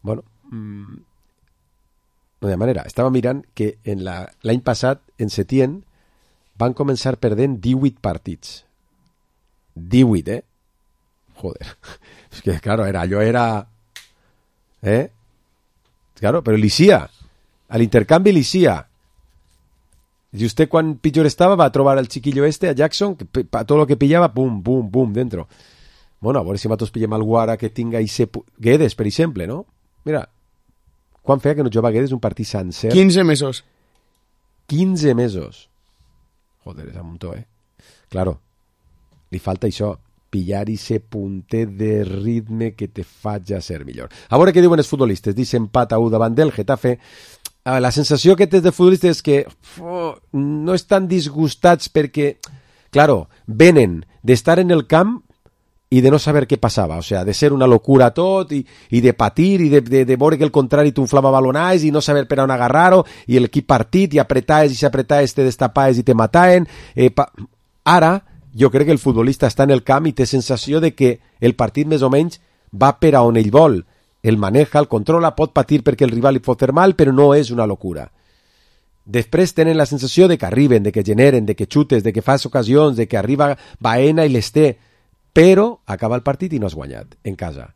Bueno, mmm, no de manera, estava mirant que en la, l'any passat, en Setién, van començar perdent divuit partits. divuit, eh? Joder, es que claro, era, yo era, ¿eh? Claro, pero l'Isia, a l'intercanvi l'Isia. Y usted quan pitjor estava va a trobar al chiquillo este, a Jackson, que para todo lo que pillaba, pum, pum, pum, dentro. Bueno, a veure si nosaltres pillem algú ara que tinga ese... Guedes, per exemple, no? Mira, quan feia que no jugava Guedes un partit sencer? quinze mesos. quinze mesos. Joder, és un muntó, eh? Claro, li falta això, pillar ese punter de ritme que te faig a ser millor. A veure què diuen els futbolistes. Dice empat a u davant del Getafe. La sensació que tens de futbolistes és que oh, no estan disgustats perquè, claro, venen d'estar en el camp i de no saber què passava, o sea, de ser una locura tot i, i de patir i de, de, de veure que el contrari t'unflava balonais i no saber per on agarrar-ho i l'equip partit i apretaes i si apretaes te destapaes i te mataen. Eh, pa... Ara, jo crec que el futbolista està en el camp i té sensació de que el partit més o menys va per a on ell vol. El maneja, el controla, pot patir perquè el rival li pot fer mal, però no és una locura. Després tenen la sensació de que arriben, de que generen, de que xutes, de que fas ocasions, de que arriba Baena i les té, però acaba el partit i no has guanyat en casa.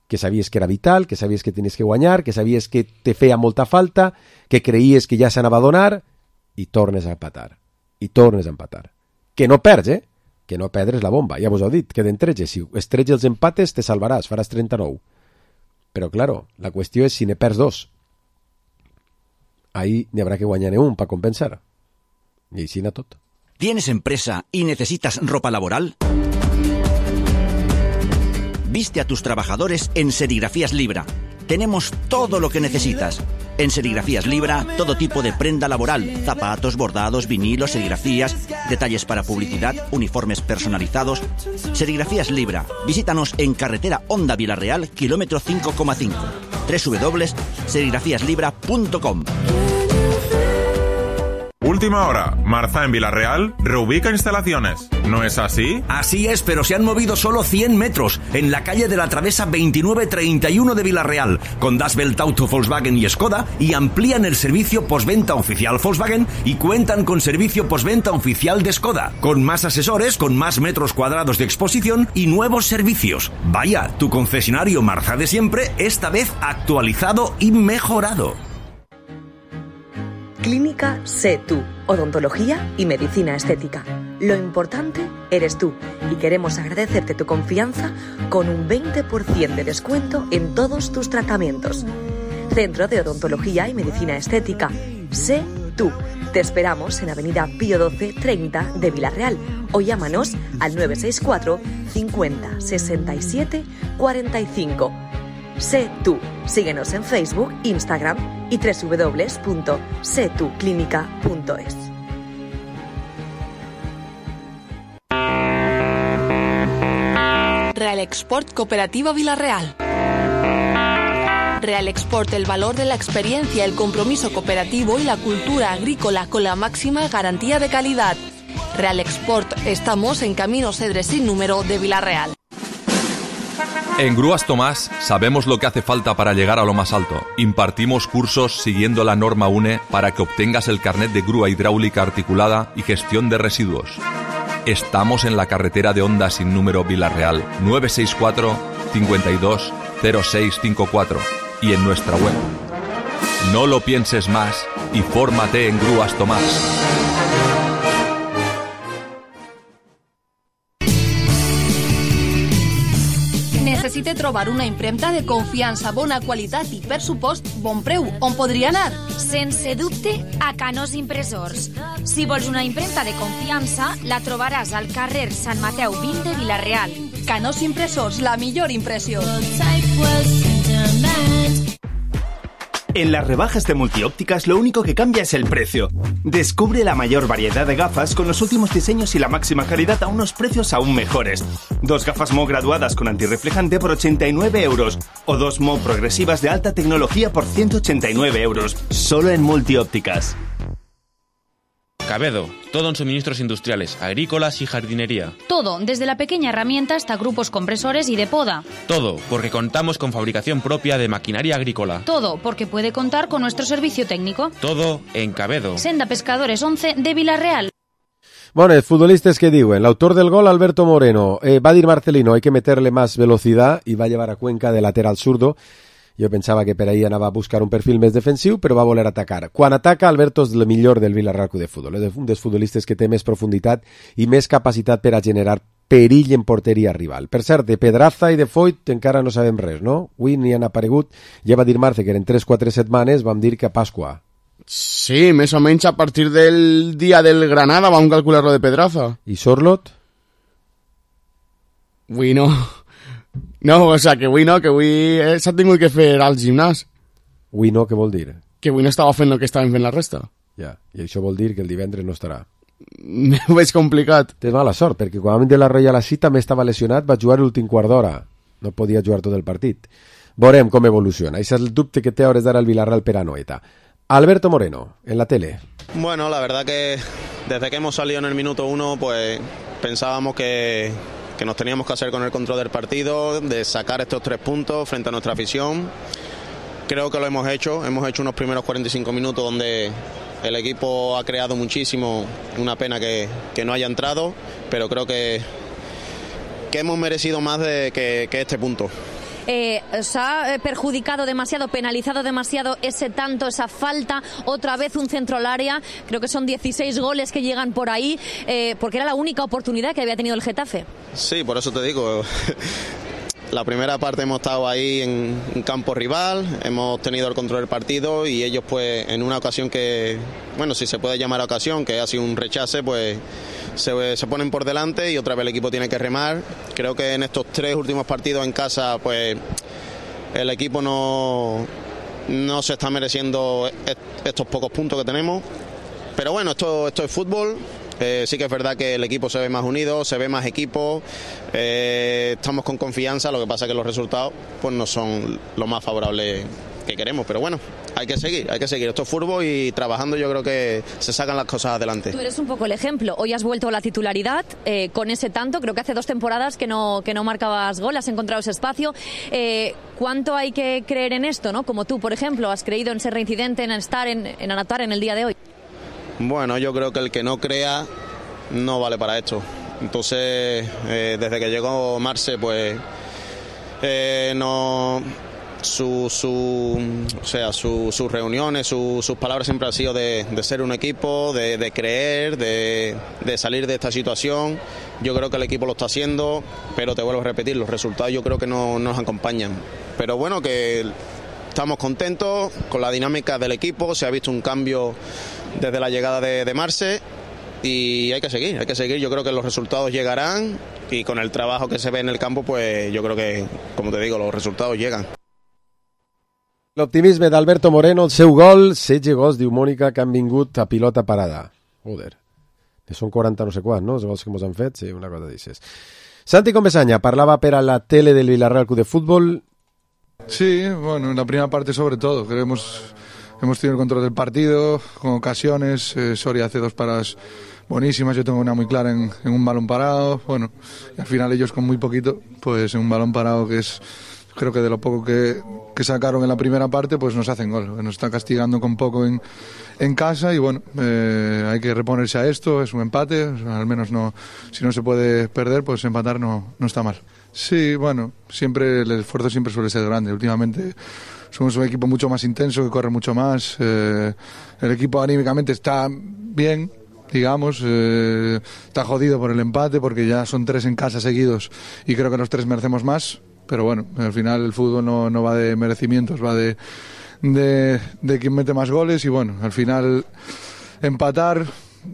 Que sabies que era vital, que sabies que tenies que guanyar, que sabies que te feia molta falta, que creies que ja s'anava a donar i tornes a empatar. I tornes a empatar. Que no perds, eh? Que no perdres la bomba. Ja vos ho he dit, queden tretze. Si estretges els empates te salvaràs, faràs trenta-nou. Però, claro, la qüestió és si ne perds dos. Ahí n'hi habrá que guanyar un para compensar. Y així na tot. ¿Tienes empresa y necesitas ropa laboral? Viste a tus trabajadores en Serigrafías Libra. Tenemos todo lo que necesitas. En Serigrafías Libra, todo tipo de prenda laboral, zapatos, bordados, vinilos, serigrafías, detalles para publicidad, uniformes personalizados. Serigrafías Libra. Visítanos en carretera Honda Villarreal, kilómetro cinco coma cinco. doble u doble u doble u punto serigrafías libra punto com. Última hora, Marza en Villarreal reubica instalaciones. ¿No es así? Así es, pero se han movido solo cien metros, en la calle de la Travesa veintinueve treinta y uno de Villarreal, con Das Welt Auto, Volkswagen y Skoda, y amplían el servicio postventa oficial Volkswagen y cuentan con servicio postventa oficial de Skoda, con más asesores, con más metros cuadrados de exposición y nuevos servicios. Vaya, tu concesionario Marza de siempre, esta vez actualizado y mejorado. Clínica Sé Tú, odontología y medicina estética. Lo importante eres tú y queremos agradecerte tu confianza con un veinte por ciento de descuento en todos tus tratamientos. Centro de Odontología y Medicina Estética. Sé Tú. Te esperamos en Avenida Pío doce treinta de Villarreal o llámanos al nueve seis cuatro cincuenta sesenta y siete cuarenta y cinco. Sé Tú. Síguenos en Facebook, Instagram y doble u doble u doble u punto sé tú clínica punto es. Real Export Cooperativa Villarreal. Real Export, el valor de la experiencia, el compromiso cooperativo y la cultura agrícola con la máxima garantía de calidad. Real Export, estamos en Camino Cedres sin número de Villarreal. En Grúas Tomás sabemos lo que hace falta para llegar a lo más alto. Impartimos cursos siguiendo la norma U N E para que obtengas el carnet de grúa hidráulica articulada y gestión de residuos. Estamos en la carretera de Honda sin número Villarreal, nueve seis cuatro cincuenta y dos cero seis cincuenta y cuatro y en nuestra web. No lo pienses más y fórmate en Grúas Tomás. Necessite trobar una impremta de confiança, bona qualitat i, per supost, bon preu. On podria anar? Sense dubte, a Canós Impressors. Si vols una impremta de confiança, la trobaràs al carrer Sant Mateu vint de Villarreal. Canós Impressors, la millor impressió. En las rebajas de Multiópticas lo único que cambia es el precio. Descubre la mayor variedad de gafas con los últimos diseños y la máxima calidad a unos precios aún mejores. Dos gafas M O graduadas con antirreflejante por ochenta y nueve euros o dos M O progresivas de alta tecnología por ciento ochenta y nueve euros. Solo en Multiópticas. Cabedo, todo en suministros industriales, agrícolas y jardinería. Todo, desde la pequeña herramienta hasta grupos compresores y de poda. Todo, porque contamos con fabricación propia de maquinaria agrícola. Todo, porque puede contar con nuestro servicio técnico. Todo en Cabedo. Senda Pescadores once de Villarreal. Bueno, els futbolistes que diuen, l'autor del gol, Alberto Moreno, eh, va dir Marcelino, hay que meterle más velocidad y va a llevar a Cuenca de lateral zurdo. Jo pensava que per ahí anava a buscar un perfil més defensiu, però va voler atacar. Quan ataca, Alberto és el millor del Villarreal Club de Futbol. És un dels futbolistes que té més profunditat i més capacitat per a generar perill en porteria rival. Per cert, de Pedraza i de Foyt encara no sabem res, no? Avui n'hi han aparegut. Ja va dir Marce que eren tres o quatre setmanes, vam dir que a Pasqua. Sí, més o menys a partir del dia del Granada vam calcular-lo de Pedraza. I Sorlot? Avui no... No, o sea, que avui no, que avui eh, s'ha tingut que fer al gimnàs. Avui no, què vol dir? Que avui no estava fent el que estaven fent la resta. Ja, i això vol dir que el divendres no estarà. Ho veig complicat. Tens mala sort, perquè quan vam de la Royal així també estava lesionat, va jugar l'últim quart d'hora. No podia jugar tot el partit. Veurem com evoluciona. Això és el dubte que té a hores d'ara el Villarreal per a Noeta. Alberto Moreno, en la tele. Bueno, la verdad que desde que hemos salido en el minuto uno, pues pensábamos que... que nos teníamos que hacer con el control del partido, de sacar estos tres puntos frente a nuestra afición. Creo que lo hemos hecho, hemos hecho unos primeros cuarenta y cinco minutos donde el equipo ha creado muchísimo, una pena que, que no haya entrado, pero creo que, que hemos merecido más de que, que este punto. Eh, se ha perjudicado demasiado, penalizado demasiado ese tanto, esa falta, otra vez un centro al área, creo que son dieciséis goles que llegan por ahí, eh, porque era la única oportunidad que había tenido el Getafe. Sí, por eso te digo, la primera parte hemos estado ahí en un campo rival, hemos tenido el control del partido y ellos pues en una ocasión que, bueno, si se puede llamar ocasión, que ha sido un rechace, pues se, se ponen por delante y otra vez el equipo tiene que remar. Creo que en estos tres últimos partidos en casa pues el equipo no, no se está mereciendo estos pocos puntos que tenemos, pero bueno, esto, esto es fútbol. Eh, sí que es verdad que el equipo se ve más unido, se ve más equipo, eh, estamos con confianza, lo que pasa es que los resultados pues no son lo más favorables que queremos, pero bueno, hay que seguir, hay que seguir. Esto es fútbol y trabajando yo creo que se sacan las cosas adelante. Tú eres un poco el ejemplo. Hoy has vuelto a la titularidad eh, con ese tanto. Creo que hace dos temporadas que no, que no marcabas gol, has encontrado ese espacio. Eh, ¿Cuánto hay que creer en esto, ¿no? Como tú, por ejemplo, has creído en ser reincidente, en estar, en, en anotar en el día de hoy. Bueno, yo creo que el que no crea no vale para esto. Entonces, eh, desde que llegó Marce, pues eh, no... Su, su, o sea, su, sus reuniones, su, sus palabras siempre han sido de, de ser un equipo, de, de creer, de, de salir de esta situación. Yo creo que el equipo lo está haciendo, pero te vuelvo a repetir, los resultados yo creo que no, no nos acompañan. Pero bueno, que estamos contentos con la dinámica del equipo, se ha visto un cambio desde la llegada de, de Marce y hay que seguir, hay que seguir. Yo creo que los resultados llegarán y con el trabajo que se ve en el campo, pues yo creo que, como te digo, los resultados llegan. L'optimisme d'Alberto Moreno, el seu gol, setze gols, diu Mònica, que han vingut a pilota parada. Joder, que són quaranta no sé quants, no? Els gols que ens han fet, sí, una cosa d'aixes. Santi Comesaña parlava per a la tele del Villarreal Club de Fútbol. Sí, bueno, en la primera parte sobre todo, creo que hemos, hemos tenido el control del partido, con ocasiones, eh, Soria hace dos paradas buenísimas, yo tengo una muy clara en, en un balón parado, bueno, y al final ellos con muy poquito, pues en un balón parado que es... Creo que de lo poco que, que sacaron en la primera parte, pues nos hacen gol. Nos está castigando con poco en, en casa y bueno, eh, hay que reponerse a esto, es un empate, al menos no, si no se puede perder, pues empatar no, no está mal. Sí, bueno, siempre el esfuerzo siempre suele ser grande. Últimamente somos un equipo mucho más intenso, que corre mucho más. Eh, el equipo anímicamente está bien, digamos, eh, está jodido por el empate porque ya son tres en casa seguidos y creo que los tres merecemos más. Pero bueno, al final el fútbol no, no va de merecimientos, va de, de, de quien mete más goles y bueno, al final empatar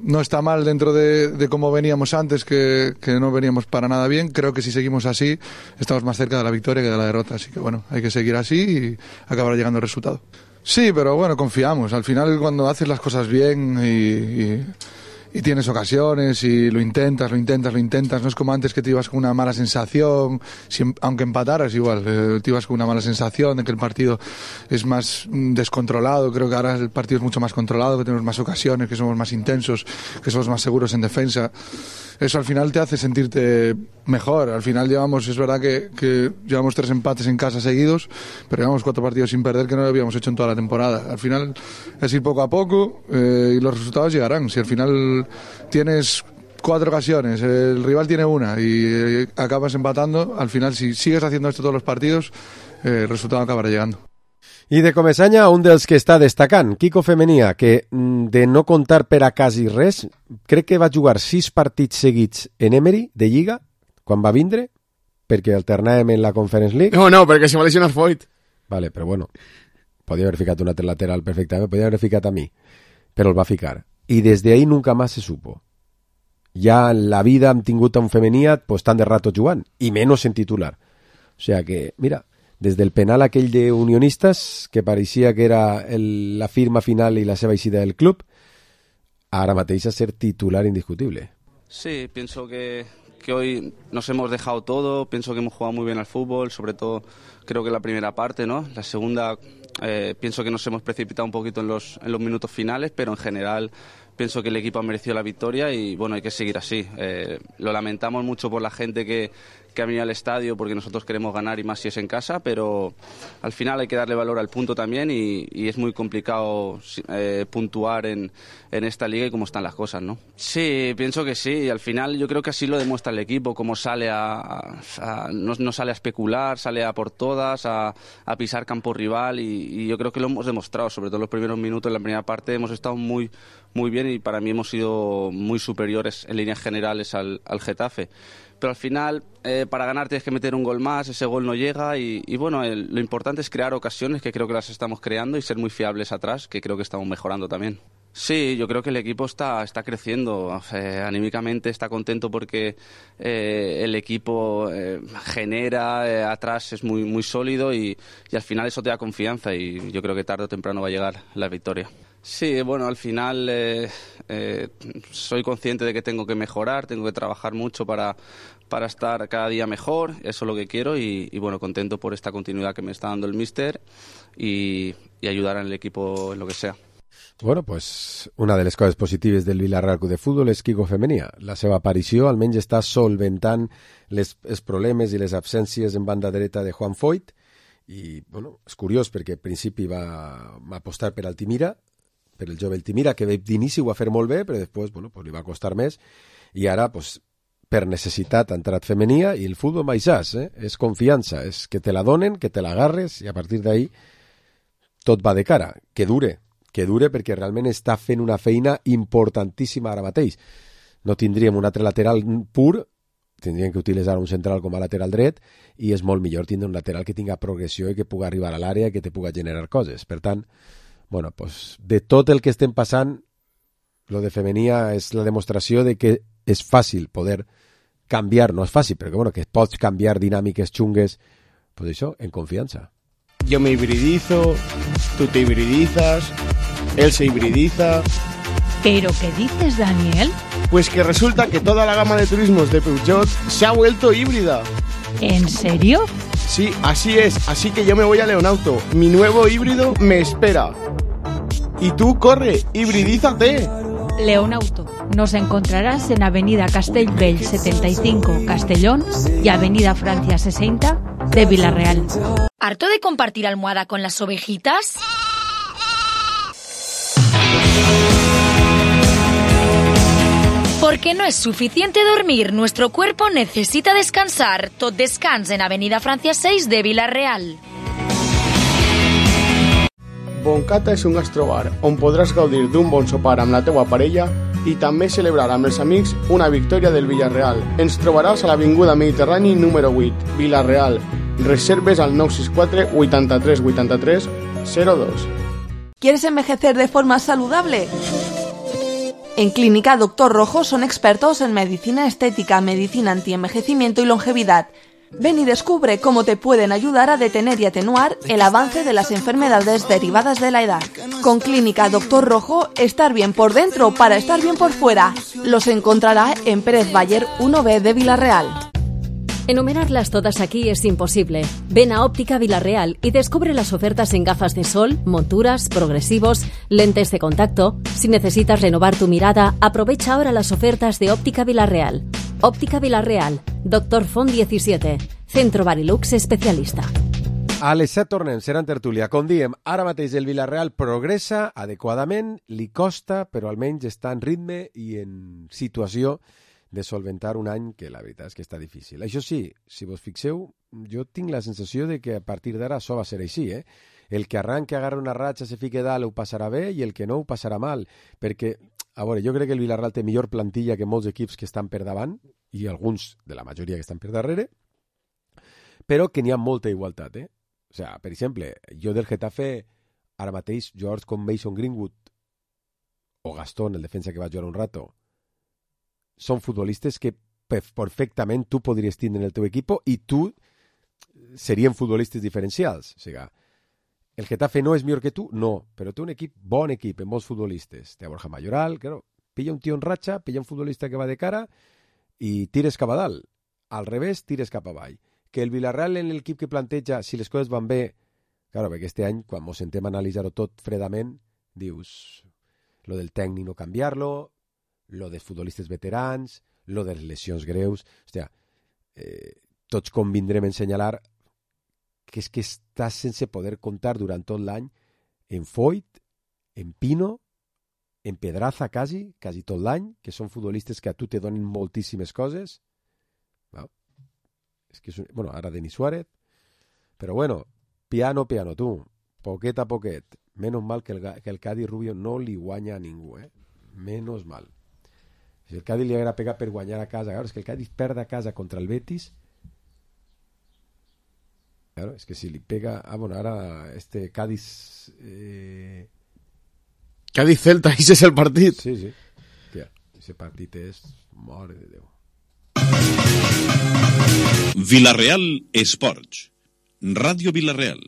no está mal dentro de, de cómo veníamos antes, que, que no veníamos para nada bien. Creo que si seguimos así estamos más cerca de la victoria que de la derrota, así que bueno, hay que seguir así y acabar llegando al resultado. Sí, pero bueno, confiamos. Al final cuando haces las cosas bien y... y y tienes ocasiones y lo intentas, lo intentas, lo intentas. No es como antes que te ibas con una mala sensación, si, aunque empataras igual, eh, te ibas con una mala sensación de que el partido es más descontrolado. Creo que ahora el partido es mucho más controlado, que tenemos más ocasiones, que somos más intensos, que somos más seguros en defensa. Eso al final te hace sentirte mejor. Al final llevamos, es verdad que, que llevamos tres empates en casa seguidos, pero llevamos cuatro partidos sin perder que no lo habíamos hecho en toda la temporada. Al final es ir poco a poco eh, y los resultados llegarán. Si al final tienes cuatro ocasiones, el rival tiene una y eh, acabas empatando, al final si sigues haciendo esto todos los partidos, eh, el resultado acabará llegando. I de Comesaña, un dels que està destacant, Quico Femenia, que de no contar per a quasi res, crec que va jugar sis partits seguits en Emery, de Lliga, quan va vindre, perquè alternàvem en la Conference League. No, no, perquè se va lesionar Foyt. Vale, però bueno, podia haver ficat un altre lateral perfectament, podia haver ficat a mi, però el va ficar. I des de ahí nunca más se supo. Ja en la vida hem tingut a un Femenia pues, tant de rato jugant, i menys en titular. O sea que, mira... Des del penal aquell de Unionistas, que pareixia que era el, la firma final i la seva eixida del club, ara mateix a ser titular indiscutible. Sí, pienso que, que hoy nos hemos dejado todo, pienso que hemos jugado muy bien al fútbol, sobre todo creo que la primera parte, ¿no? La segunda eh, pienso que nos hemos precipitado un poquito en los, en los minutos finales, pero en general pienso que el equipo ha merecido la victoria y bueno, hay que seguir así. Eh, lo lamentamos mucho por la gente que, que ha venido al estadio porque nosotros queremos ganar y más si es en casa, pero al final hay que darle valor al punto también y, y es muy complicado eh, puntuar en, en esta liga y cómo están las cosas, ¿no? Sí, pienso que sí, y al final yo creo que así lo demuestra el equipo, cómo sale a, a, a no, no sale a especular, sale a por todas, a, a pisar campo rival y, y yo creo que lo hemos demostrado, sobre todo en los primeros minutos, en la primera parte hemos estado muy, muy bien y para mí hemos sido muy superiores en líneas generales al, al Getafe. Pero al final, eh, para ganar tienes que meter un gol más, ese gol no llega y, y bueno, el, lo importante es crear ocasiones, que creo que las estamos creando, y ser muy fiables atrás, que creo que estamos mejorando también. Sí, yo creo que el equipo está, está creciendo, eh, anímicamente está contento porque eh, el equipo eh, genera, eh, atrás es muy, muy sólido y, y al final eso te da confianza y yo creo que tarde o temprano va a llegar la victoria. Sí, bueno, al final eh, eh, soy consciente de que tengo que mejorar, tengo que trabajar mucho para, para estar cada día mejor, eso es lo que quiero y, y bueno, contento por esta continuidad que me está dando el míster y, y ayudar al equipo en lo que sea. Bueno, pues una de les coses positives del Villarreal Club de Futbol és Quico Femenia. La seva aparició almenys està solventant les, els problemes i les absències en banda dreta de Juan Foyt i, bueno, és curiós perquè al principi va, va apostar per Altimira, per el jove Altimira, que d'inici ho va fer molt bé, però després, bueno, pues li va costar més i ara, pues, per necessitat ha entrat Femenia i el futbol maissàs, eh? És confiança, és que te la donen, que te la agarres i a partir d'ahí tot va de cara, que dure. que dure perquè realment està fent una feina importantíssima ara mateix. No tindríem un altre lateral pur, tindríem que utilitzar un central com a lateral dret i és molt millor tindre un lateral que tinga progressió i que pugui arribar a l'àrea i que te pugui generar coses. Per tant, bueno, pues, de tot el que estem passant, lo de Femenia és la demostració de que és fàcil poder canviar, no és fàcil, però que, bueno, que pots canviar dinàmiques xungues, pues això, en confiança. Yo me hibridizo, tú te hibridizas, él se hibridiza. ¿Pero qué dices, Daniel? Pues que resulta que toda la gama de turismos de Peugeot se ha vuelto híbrida. ¿En serio? Sí, así es, así que yo me voy a Leonauto. Mi nuevo híbrido me espera. Y tú, corre, hibridízate. Leonauto. Nos encontrarás en Avenida Castellbell setenta y cinco, Castellón, y Avenida Francia sesenta de Villarreal. ¿Harto de compartir almohada con las ovejitas? Porque no es suficiente dormir, nuestro cuerpo necesita descansar. Tot descans en Avenida Francia seis de Villarreal. Boncata és un gastrobar on podràs gaudir d'un bon sopar amb la teua parella i també celebrar amb els amics una victòria del Villarreal. Ens trobaràs a l'Avinguda Mediterrani número vuit, Villarreal. Reserves al nueve seis cuatro, ochenta y tres, ochenta y tres, cero dos. ¿Quieres envejecer de forma saludable? En Clínica Doctor Rojo son expertos en medicina estética, medicina antienvejecimiento y longevidad. Ven y descubre cómo te pueden ayudar a detener y atenuar el avance de las enfermedades derivadas de la edad. Con Clínica Doctor Rojo, estar bien por dentro para estar bien por fuera. Los encontrará en Pérez Bayer uno B de Villarreal. Enumerarlas todas aquí es imposible. Ven a Óptica Villarreal y descubre las ofertas en gafas de sol, monturas, progresivos, lentes de contacto. Si necesitas renovar tu mirada, aprovecha ahora las ofertas de Óptica Villarreal. Óptica Villarreal, Doctor Font diecisiete, Centro Barilux especialista. A les set tornem, serà en tertúlia. Com diem, ara mateix el Villarreal progressa adequadament, li costa, però almenys està en ritme i en situació de solventar un any que la veritat és que està difícil. Això sí, si vos fixeu, jo tinc la sensació de que a partir d'ara això va ser així, eh? El que arranque, agarra una ratxa, se fique dalt, ho passarà bé, i el que no, ho passarà mal. Perquè, a veure, jo crec que el Villarreal té millor plantilla que molts equips que estan per davant, i alguns de la majoria que estan per darrere, però que n'hi ha molta igualtat, eh? O sigui, per exemple, jo del Getafe, ara mateix, jugadors com Mason Greenwood o Gastón, el defensa que va jugar un rato, són futbolistes que perfectament tu podries tindre en el teu equip i tu serien futbolistes diferencials. O sigui, el Getafe no és millor que tu? No, però té un equip, bon equip, amb molts futbolistes. Té a Borja Mayoral, claro, pilla un tio en ratxa, pilla un futbolista que va de cara i tires cap a dalt. Al revés, tires cap avall. Que el Villarreal en l'equip que planteja, si les coses van bé, claro, perquè este any, quan ens sentem a analitzar-ho tot fredament, dius, lo del tècnic no canviar-lo, lo dels futbolistes veterans, lo de les lesions greus, hòstia, eh, tots convindrem en senyalar que és que estàs sense poder comptar durant tot l'any en Foyt, en Pino, en Pedraza quasi, quasi tot l'any, que són futbolistes que a tu te donen moltíssimes coses. No? És que és un... bueno, ara Denis Suárez, però bueno, piano, piano, tu, poquet a poquet. Menos mal que el, que el Cádiz Rubio no li guanya a ningú, eh? Menos mal. Si el Cádiz li haguera pegat per guanyar a casa, claro, és que el Cádiz perd a casa contra el Betis. Claro, és que si li pega... Ah, bueno, ara este Cádiz... Eh, Cádiz-Celta, ese és el partit. Sí, sí. Hòstia, ese partit és... Mare de Déu. Villarreal Esports. Ràdio Villarreal.